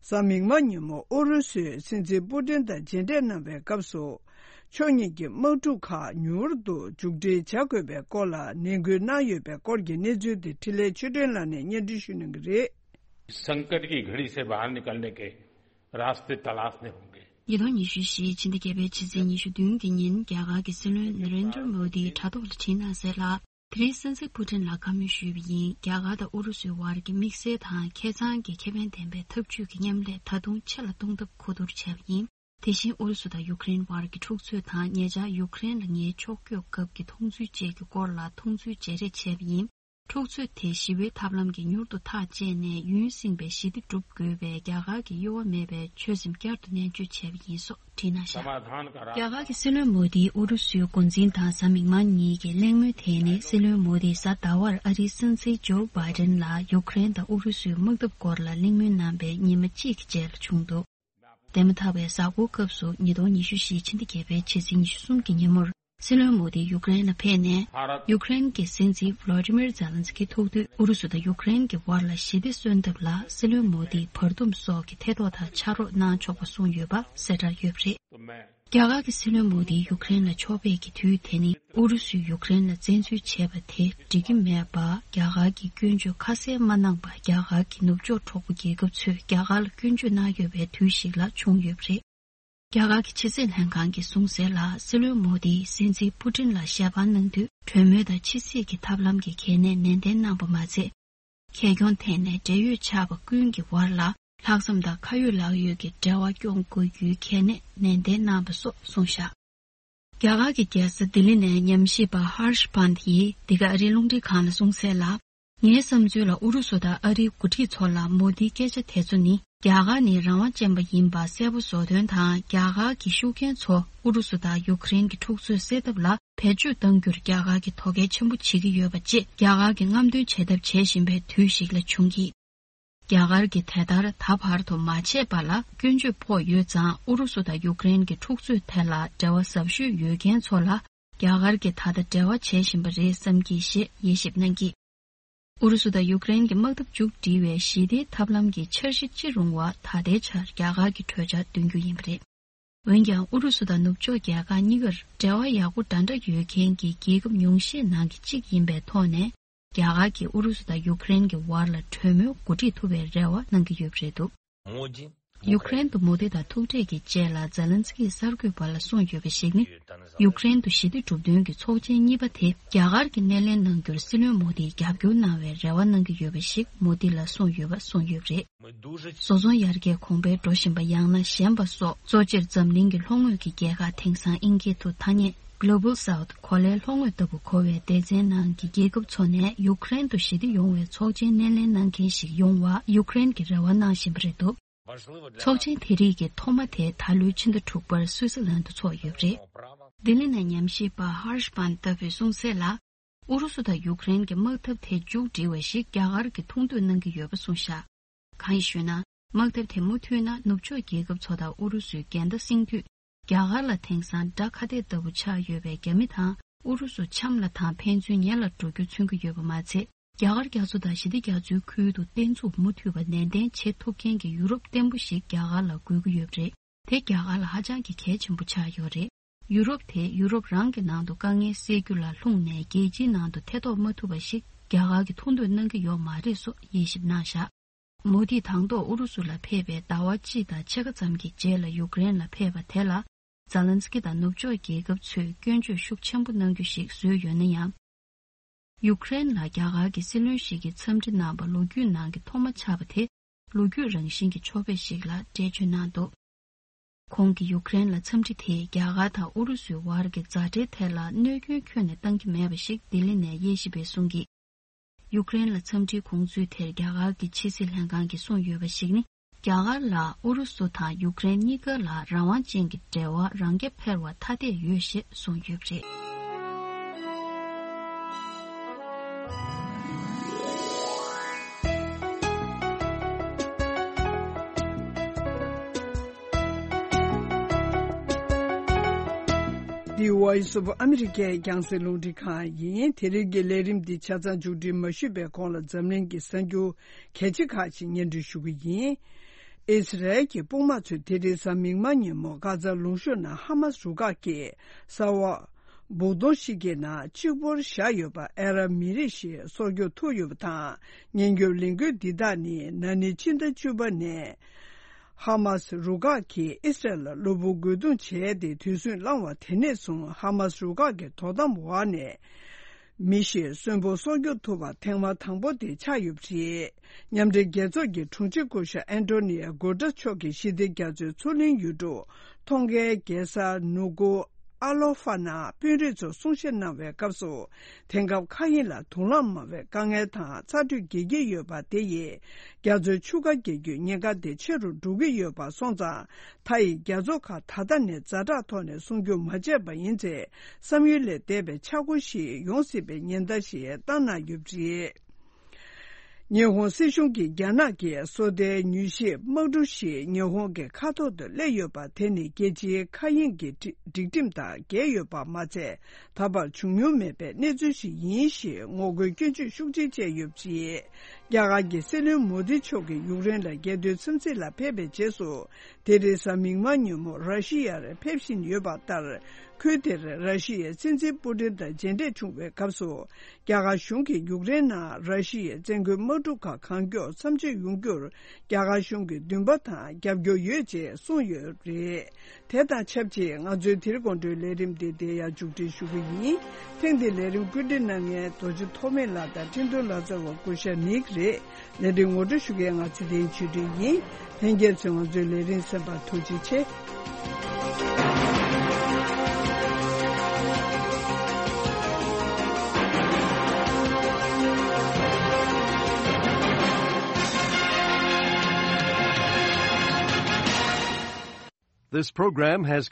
གཟའ་མིག་དམར་ཉིན་མོ་ཨུ་རུ་སུའི་སྲིད་འཛིན་པུ་ཏིན་དང་མཇལ་འཕྲད་གནང་བའི་སྐབས་སུ། ཕྱོགས་གཉིས་ཀྱི་དམག་འཁྲུག་ཁག་མྱུར་དུ་མཇུག་སྒྲིལ་བྱ་དགོས་པའི་སྐོར་ལ་ནན་སྐུལ་གནང་ཡོད་པའི་སྐོར་གྱི་གནས་ཚུལ་དེ་འཕྲིན་ལས་ཆོས་སྒྲོན་ལགས་ནས་སྙན་སྒྲོན་ཞུ་གནང་གི་རེད། संकट की घड़ी से बाहर निकलने के रास्ते तलाशने होंगे। ཉིས་སྟོང་ཉི་ཤུ་བཞི་ཕྱི་ཟླ་བརྒྱད་པའི་ཕྱི་ཚེས་ཉི་ཤུ་བདུན་གྱི་ཉིན་རྒྱ་གར་གྱི་སྲིད་བློན་ནེ་རེན་དྲ་མོ་དིའི་དྲ་ཐོག་ལ་བྲིས་གནང་གསལ་ལ། དེ་རིང་སྲིད་འཛིན་པུ་ཏིན་ལ་བཀའ་མོལ་ཞུས་པ་ཡིན། རྒྱ་གར་དང་ཨུ་རུ་སུའི་བར་གྱི་དམིགས་བསལ་དང་ཁེ་གཙང་གི་ཁེ་ཕན་ལྡན་པའི་འཐབ་ཇུས་ཀྱི་མཉམ་ལས་ད་དུང་ཆེ་ལ་གཏོང་ཐབས་གོ་བསྡུར་བྱས་པ་ཡིན། དེ་བཞིན་ཨུ་རུ་སུ་དང་ཡུཀ་རེན་བར་གྱི་འཁྲུག་རྩོད་དང་ཉེ་ཆར་ཡུཀ་རེན་ལ་ངའི་ཕྱོགས་བསྐྱོད་སྐབས་ཀྱི་མཐོང་ཚུལ་བཅས་ཀྱི་སྐོར་ལ་མཐོང་ཚུལ་བརྗེ་རེས་བྱས་པ་ཡིན། འཁྲུག་རྩོད་དེ་ཞི་བའི་ཐབས་ལམ་གྱིས་མྱུར་དུ་ཐག་བཅད་ནས་ཡུན་བསྲིངས་པའི་ཞི་བདེ་སྒྲུབ་དགོས་པའི་རྒྱ་གར་གྱི་གཡོ་བ་མེད་པའི་ཆོད་སེམས་བསྐྱར་དུ་ནན་བརྗོད་བྱས་པ་ཡིན་སོགས་བྲིས་གནང་བཞག་རྒྱ་གར་གྱི་སྲིད་བློན་མོ་དིས་ཨུ་རུ་སུའི་འགོ་འཛིན་དང་གཟའ་མིག་དམར་ཉིན་གྱི་གླེང་མོལ་དེ་ནི་སྲིད་བློན་མོ་དིས་གཟའ་ཟླ་བར་ཨ་རིའི་སྲིད་འཛིན་ཇོ་བྷའི་ཏན་ལ་ཡུཀ་རེན་དང་ཨུ་རུ་སུའི་དམག་འཐབ་སྐོར་ལ་གླེང་མོལ་གནང་པའི་ཉི་མ་གཅིག་གི་རྗེས་ལ་བྱུང་འདུག་འདས་མ་ཐག་པའི་གཟའ་འཁོར་སྐབས་སུ་ཉིས་སྟོང་ཉི་ཤུ་བཞི་ཕྱི་ཟླ་བརྒྱད་པའི་ཕྱི་ཚེས་ཉི་ཤུ་གསུམ་གྱི་ཉིན་མོར། སྲིད་བློན་མོ་དི་ཡུཀ་རེན་ལ་ཕེབས་ནས། ཡུཀ་རེན་གྱི་སྲིད་འཛིན་ཝོ་ལོ་ཏི་མིར་ཛེ་ལན་སི་ཀི་ཐུག་དུས་ཨུ་རུ་སུ་དང་ཡུཀ་རེན་གྱི་དབར་ལ་ཞི་བདེ་གསོན་ཐབས་ལ་སྲིད་བློན་མོ་དིས་བར་འདུམ་སོགས་ཀྱི་ཐེ་གཏོགས་དང་ཕྱག་རོགས་གནང་ཆོག་པ་གསུངས་ཡོད་པ་གསལ་བསྒྲགས་ཡོད་པ་རེད། རྒྱ་གར་གྱི་སྲིད་བློན་མོ་དི་ཡུཀ་རེན་ལ་ཕྱོགས་ཕེབས་ཀྱི་དུས་དེ་ནི་ཨུ་རུ་སུས་ཡུཀ་རེན་ལ་བཙན་འཛུལ་བྱས་པ་དེ་འགྲིག་གི་མེད་པ། རྒྱ་གར་གྱིས་སྐྱོན་བརྗོད་ཁ་གསལ་མ་གནང་པར་རྒྱ་གར་གྱི་ནུབ་ཕྱོགས་གྲོགས་པོ་རྒྱལ་ཁབ་ཚོས་རྒྱ་གར་ལ་སྐྱོན་བརྗོད་གནང་ཡོད་པའི་དུས་ཤིག་ལ་བྱུང་ཡོད་པ་རེད། རྒྱ་གར་གྱི་ཕྱི་སྲིད་ལྷན་ཁང་གིས་གསུངས་གསལ་ལ། སྲིད་བློན་མོ་དིས་སྲིད་འཛིན་པུ་ཏིན་ལ་ཞལ་པར་གནང་དུས་གྲོས་མོལ་དང་ཕྱི་སྲིད་ཀྱི་ཐབས་ལམ་གྱི་གལ་གནད་ནན་ཏན་གནང་པ་མ་ཚད། ཁེ་གྱོང་ཐད་ནས་འབྲེལ་ཡོད་ཆགས་པ་ཀུན་གྱི་བར་ལ་ལྷག་བསམ་དང་ཁ་ཡོད་ལག་ཡོད་ཀྱི་འབྲེལ་བ་སྐྱོང་དགོས་རྒྱུའི་གལ་གནད་ནན་ཏན་གནང་པ་སོགས་གསུངས་བཞག་རྒྱ་གར་གྱི་རྒྱལ་ས་ལྡི་ལི་ནས་ཉམས་ཞིབ་པ་ཧར་ཤ་པཱན་ཡིས་འདི་ག་ཨ་རིའི་རླུང་འཕྲིན་ཁང་ལ་གསུངས་གསལ་ལ། ངའི་བསམ་ཚུལ་ལ་ཨུ་རུ་སུ་དང་ཨ་རིའི་འགོ་ཁྲིད་ཚོ་ལ་མོ་དིའི་སྐད་ཆ་དེ་ཚོ་ནི། རྒྱ་གར་ནི་རང་དབང་ཅན་པ་ཡིན་པ་གསལ་པོ་བཟོ་དོན་དང་། རྒྱ་གར་གྱི་ཤུགས་རྐྱེན་ཚོ་ཨུ་རུ་སུ་དང་ཡུཀ་རེན་གྱི་འཁྲུག་རྩོད་སེལ་ཐབས་ལ་བེད་སྤྱོད་གཏང་རྒྱུར་རྒྱ་གར་གྱིས་དོ་གལ་ཆེན་པོ་བྱེད་ཀྱི་ཡོད་པ་བཅས། རྒྱ་གར་གྱིས་རྔམ་སྟོན་བྱེད་ཐབས་བྱེད་བཞིན་པའི་དུས་ཤིག་ལ་བྱུང་གི། རྒྱ་གར་གྱིས་དེ་ལྟར་ད་བར་དུ་མ་བྱས་པ་ལ་སྐྱོན་བརྗོད་ཕོག་ཡོད་ཙང་། ཨུ་རུ་སུ་དང་ཡུཀ་རེན་གྱི་འཁྲུག་རྩོད་ཐད་ལ་འབྲེལ་བ་ཟབ་ཤོས་ཡོད་མཁན་ཚོ་ལ་རྒྱ་གར་གྱིས་ད་ལྟ་འབྲེལ་བ་བྱེད་བཞིན་པ་རེད་བསམ་གྱིས་ཞེས་དབྱེ་ཞིབ་གནང་གིས། ཨུ་རུ་སུ་དང་ཡུཀ་རེན་གྱི་དམག་འཐབ་མཇུག་སྒྲིལ་བའི་ཞི་བདེའི་ཐབས་ལམ་གྱི་འཆར་གཞི་ཅི་རུང་བ་ད་ལྟའི་ཆར་རྒྱ་གར་གྱི་གྲོས་འཆར་འདོན་རྒྱུ་ཡིན་པ་རེད། འོན་ཀྱང་ཨུ་རུ་སུ་དང་ནུབ་ཕྱོགས་རྒྱལ་ཁག་གཉིས་ཀར་འབྲེལ་བ་ཡག་པོ་འདྲ་འདྲ་ཡོད་མཁན་གྱི་རྒྱལ་ཁབ་ཉུང་ཤས་ནང་གི་གཅིག་ཡིན་པའི་ཐོག་ནས། རྒྱ་གར་གྱིས་ཨུ་རུ་སུ་དང་ཡུཀ་རེན་གྱི་བར་ལ་གྲོས་མོལ་འགོ་ཁྲིད་ཐུབ་པའི་རེ་བ་གནང་གི་ཡོད་པ་རེད་འདུག་ཡུཀ་རེན་དུ་མོ་དི་དང་ཐུག་འཕྲད་ཀྱི་རྗེས་ལ་ཛེ་ལན་སི་ཀིས་གསར་འགོད་པ་ལ་གསུངས་ཡོད་པ་ཞིག་ནི། ཡུཀ་རེན་དུ་ཞི་བདེ་སྒྲུབ་འདུན་གྱི་ཚོགས་ཆེན་གཉིས་པ་དེ་རྒྱ་གར་གྱིས་སྣེ་ལེན་གནང་རྒྱུར་སྲིད་བློན་མོ་དིས་རྒྱབ་སྐྱོར་གནང་བའི་རེ་བ་གནང་གི་ཡོད་པ་ཞིག་མོ་དི་ལ་གསུངས་ཡོད་པ་གསུངས་ཡོད་པ་རེད། བཟོ་ཚོང་ཡར་རྒྱས་གོང་འཕེལ་འགྲོ་བཞིན་པ་ཡང་ན་ཞན་པ་སོགས་གཙོ་ཆེར་འཛམ་གླིང་གི་ལྷོ་ངོས་ཀྱི་རྒྱལ་ཁག་དེང་སང་ཨིན་སྐད་དུ་ཐ་སྙད་Global South གོ་ལའི་ལྷོ་ངོས་ལྟ་བུ་གོ་བའི་སྡེ་ཚན་ནང་གི་རྒྱལ་ཁབ་ཚོ་ནས་ཡུཀ་རེན་དུ་ཞི་བདེ་ཡོང་བའི་ཚོགས་ཆེན་སྣེ་ལེན་གནང་མཁན་ཞིག་ཡོང་བ་ཡུཀ་རེན་གྱིས་རེ་བ་གནང་བཞིན་པ་རེད་འདུག་ཚོགས་ཆེན་དེ་རིགས་ཀྱི་ཐོག་མ་དེ་ད་ལོའི་ཕྱི་ཟླ་དྲུག་པར་སུད་སི་ལན་དུ་འཚོགས་ཡོད་པ་རེད། ལྡི་ལི་ནས་ཉམས་ཞིབ་པ་ཧར་ཤ་པན་ཏ་བུས་གསུངས་གསལ་ལ། ཨུ་རུ་སུ་དང་ཡུཀ་རེན་གྱི་དམག་འཐབ་དེ་མཇུག་སྒྲིལ་བ་ཞིག་རྒྱ་གར་གྱིས་ཐུགས་འདོད་གནང་གི་ཡོད་པ་གསུངས་བཞག་གང་ཡིན་ཞུས་ན། དམག་འཐབ་དེ་མུ་མཐུད་ན་ནུབ་ཕྱོགས་རྒྱལ་ཁབ་ཚོ་དང་ཨུ་རུ་སུའི་འགལ་ཟླ་སེང་དུས། རྒྱ་གར་ལ་དེང་སང་དགྲ་ཁ་གཏད་ལྟ་བུ་ཆགས་ཡོད་པའི་རྒྱ་མི་དང་ཨུ་རུ་སུ་འཆམ་ལ་དང་ཕན་ཚུན་ཉེ་ལ་འགྲོ་རྒྱུ་མཚོན་གྱི་ཡོད་པ་མ་ཚད། རྒྱ་གར་རྒྱ་མཚོ་དང་ཞི་བདེ་རྒྱ་མཚོའི་ཁུལ་དུ་བརྟན་ཚུགས་མུ་མཐུད་པ་ནན་ཏན་བྱེད་ཐུབ་མཁན་གྱི་ཡུ་རོབ་བརྟན་པོ་ཞིག་རྒྱ་གར་ལ་དགོས་ཀྱི་ཡོད་པ་རེད། དེ་རྒྱ་གར་ལ་ཧ་ཅང་གི་གལ་ཆེན་པོ་ཆགས་ཡོད་རེད། ཡུ་རོབ་དེ་ཡུ་རོབ་རང་གི་ནང་དུ་དཀའ་ངལ་སེལ་རྒྱུ་ལ་ལྷུང་ནས་རྒྱལ་སྤྱིའི་ནང་དུ་ཐེ་གཏོགས་མ་ཐུབ་པ་ཞིག་རྒྱ་གར་གྱིས་ཐུགས་འདོད་གནང་གི་ཡོད་མ་རེད་སོགས་དབྱེ་ཞིབ་གནང་བཞག་མོ་དིས་དང་ཐོག་ཨུ་རུ་སུ་ལ་ཕེབས་པའི་ཟླ་བ་གཅིག་དང་ཕྱེད་ཀ་ཙམ་གྱི་རྗེས་ལ་ཡུཀ་རེན་ལ་ཕེབས་པ་དེ་ལ། ཛ་ལན་སི་ཀི་དང་ནུབ་ཕྱོགས་རྒྱལ་ཁབ་ཚོས་སྐྱོན་བརྗོད་ཤུགས་ཆེན་པོ་གནང་རྒྱུ་ཞིག་བཟོས་ཡོད་ན་ཡང་། ཡུཀ་རེན་ལ་རྒྱ་གར་གྱི་སྲིད་བློན་ཞིག་གིས་འཚམས་འདྲི་གནང་བ་ལོ་རྒྱུས་ནང་གི་ཐོག་མ་ཆགས་པ་དེ་ལོ་རྒྱུས་རང་བཞིན་གྱི་ཕྱོགས་ཕེབས་ཤིག་ལ་འགྲེལ་བརྗོད་གནང་འདུག་ཁོང་གིས་ཡུཀ་རེན་ལ་འཚམས་འདྲི་དེས་རྒྱ་གར་དང་ཨུ་རུ་སུའི་བར་གྱི་མཛའ་འབྲེལ་ཐད་ལ་གནོད་སྐྱོན་ཁྱོན་ནས་བཏང་གི་མེད་པ་ཞིག་ལྡི་ལི་ནས་དབྱེ་ཞིབ་པས་གསུངས་ཀྱིས། ཡུཀ་རེན་ལ་འཚམས་འདྲིའི་དགོངས་ཚུལ་དེར་རྒྱ་གར་གྱི་ཕྱི་སྲིད་ལྷན་ཁང་གིས་གསུངས་ཡོད་པ་ཞིག་ནི། རྒྱ་གར་ལ་ཨུ་རུ་སུ་དང་ཡུཀ་རེན་གཉིས་ཀ་ལ་རང་དབང་ཅན་གྱི་འབྲེལ་བ་རང་རྐྱ་འཕེར་བ་ཐ་དད་ཡོད་ཞེས་གསུངས་ཡོད་པ་རེད། འདི་Voice of America་རྒྱང་སྲིང་རླུང་འཕྲིན་ཁང་ཡིན། དེ་རིང་གི་ལས་རིམ་འདི་ཆ་ཚང་མཇུག་སྒྲིལ་མ་ཞུས་པའི་གོང་ལ་འཛམ་གླིང་གི་གསར་འགྱུར་གལ་ཆེ་ཁག་ཅིག་སྙན་སྒྲོན་ཞུ་གི་ཡིན། ཨི་སི་རལ་གྱི་དཔུང་དམག་ཚོས་དེ་རིང་གཟའ་མིག་དམར་ཉིན་མོ་གྷ་ཛ་ལུང་གཤོང་ནང་ཧ་མ་སི་རུ་ཁག་གིས་གསར་པ་སྦུག་དོང་ཞིག་གི་ནང་གཅིག་པོར་བཞག་ཡོད་པ་ཨ་རབ་མི་རིགས་ཤིག་སྲོག་སྐྱོབ་ཐུབ་ཡོད་པ་དང་། ཉེན་སྐྱོབ་ལས་འགུལ་འདི་དག་ནི་ན་ནིང་ཕྱི་ཟླ་བཅུ་པ་ནས་ཧ་མ་སི་རུ་ཁག་གིས་ཨི་སི་རལ་ལ་གློ་བུར་རྒོལ་རྡུང་བྱས་ཏེ་དུས་ཚོད་བླངས་བ་དེ་ནས་བཟུང་ཧ་མ་སི་རུ་ཁག་གི་དོ་དམ་འོག་ནས། མི་ཞིག་གསོན་པོ་སྲོག་སྐྱོབ་ཐུབ་པ་ཐེངས་མ་དང་པོ་དེ་ཆགས་ཡོད་པ་རེད། མཉམ་འབྲེལ་རྒྱལ་ཚོགས་ཀྱི་དྲུང་ཆེ་སྐུ་ཞབས་ཨན་ཏོ་ནི་ཡ་གུ་ཏྲས་མཆོག་གིས་ཞི་བདེ་རྒྱ་མཚོའི་མཚོ་གླིང་ཡུལ་གྲུ་ཐོང་གའི་རྒྱལ་ས་ནུ་གུ་ཨ་ལོ་ཧྥ་ནང་དཔོན་རིགས་ཚོར་གསུང་བཤད་གནང་བའི་སྐབས་སུ། དེང་སྐབས་མཁའ་དབྱིངས་ལ་དུག་རླངས་མང་བའི་དཀའ་ངལ་དང་ཚ་དྲོད་རྒྱས་ཀྱི་ཡོད་པ་དེ་ཡིས་རྒྱ་མཚོའི་ཆུ་ཁ་རྒྱས་རྒྱུའི་ཉེན་ཁ་དེ་ཆེ་རུ་འགྲོ་གི་ཡོད་པ་སོང་ཙང་། མཐའ་ཡི་རྒྱ་མཚོ་ཁག་ད་ལྟ་ནས་ཛ་དྲག་ཐོག་ནས་སྲུང་སྐྱོབ་མ་བྱས་པ་ཡིན་ཚེ། བསམ་ཡུལ་ལས་འདས་པའི་ཆག་སྒོ་ཞིག་ཡོང་སྲིད་པའི་ཉེན་བརྡ་ཞིག་བཏང་གནང་ཡོད་པ་རེད། ཉི་ཧོང་སྲིད་གཞུང་གིས་རྒྱ་ནག་གི་སོ་ལྟའི་མྱུལ་ཞིབ་དམག་གྲུ་ཞིག་ཉི་ཧོང་གི་མཁའ་ཐོག་ཏུ་སླེབས་ཡོད་པ་དེ་ནི་རྒྱལ་སྤྱིའི་མཁའ་དབྱིངས་ཀྱི་སྒྲིག་སྒྲིག་ཁྲིམས་དང་འགལ་ཡོད་པ་མ་ཚད། ད་བར་བྱུང་མྱོང་མེད་པའི་གནས་ཚུལ་ཞིག་ཡིན་ཞེས་ངོ་རྒོལ་སྐྱོན་བརྗོད་ཤུགས་ཆེ་བྱས་ཡོད་པ་རེད། རྒྱ་གར་གྱི་སྲིད་བློན་མོ་དི་མཆོག་གིས་ཡུཀ་རེན་ལ་རྒྱལ་དོན་འཚམས་གཟིགས་ལ་ཕེབས་པའི་རྗེས་སུ། དེ་རིང་གཟའ་མིག་དམར་ཉིན་མོ་ར་ཤི་ཡར་ཕེབས་བཞིན་ཡོད་པ་ལྟར། ཁུལ་དེར་ར་ཤི་ཡའི་སྲིད་འཛིན་པུ་ཏིན་དང་མཇལ་འཕྲད་བྱུང་བའི་སྐབས་སུ། རྒྱ་གར་གཞུང་གིས་ཡུཀ་རེན་ནང་ར་ཤི་ཡའི་བཙན་རྒོལ་དམག་འཁྲུག་ཁག་གང་མགྱོགས་མཚམས་ཆད་ཡོང་རྒྱུར་རྒྱ་གར་གཞུང་གིས་འདུན་པ་དང་རྒྱབ་སྐྱོར་ཡོད་ཅེས་གསུངས་ཡོད་པ་རེད། དེ་དང་ཆབས་ཅིག་ང་ཚོའི་དེ་རིང་དགོང་དྲོའི་ལས་རིམ་འདི་འདིར་ཡང་མཇུག་སྒྲིལ་ཞུ་གི་ཡིན། ཐེངས་འདིའི་ལས་རིམ་བཀོད་སྒྲིག་གནང་མཁན་རྡོ་རྗེ་ཐོགས་མེད་ལགས་དང་འཕྲིན་གཏོང་ལག་རྩལ་བ་སྐུ་ཞབས་ནིག་རེད། ལས་རིམ་ངོ་སྤྲོད་ཞུ་མཁན་ང་ཚེ་བརྟན་ཆོས་སྒྲོན་ཡིན། ལྷན་རྒྱས་ཚོས་ང་ཚོའི་ལས་རིམ་གསན་པར་ཐུགས་རྗེ་ཆེ། This program has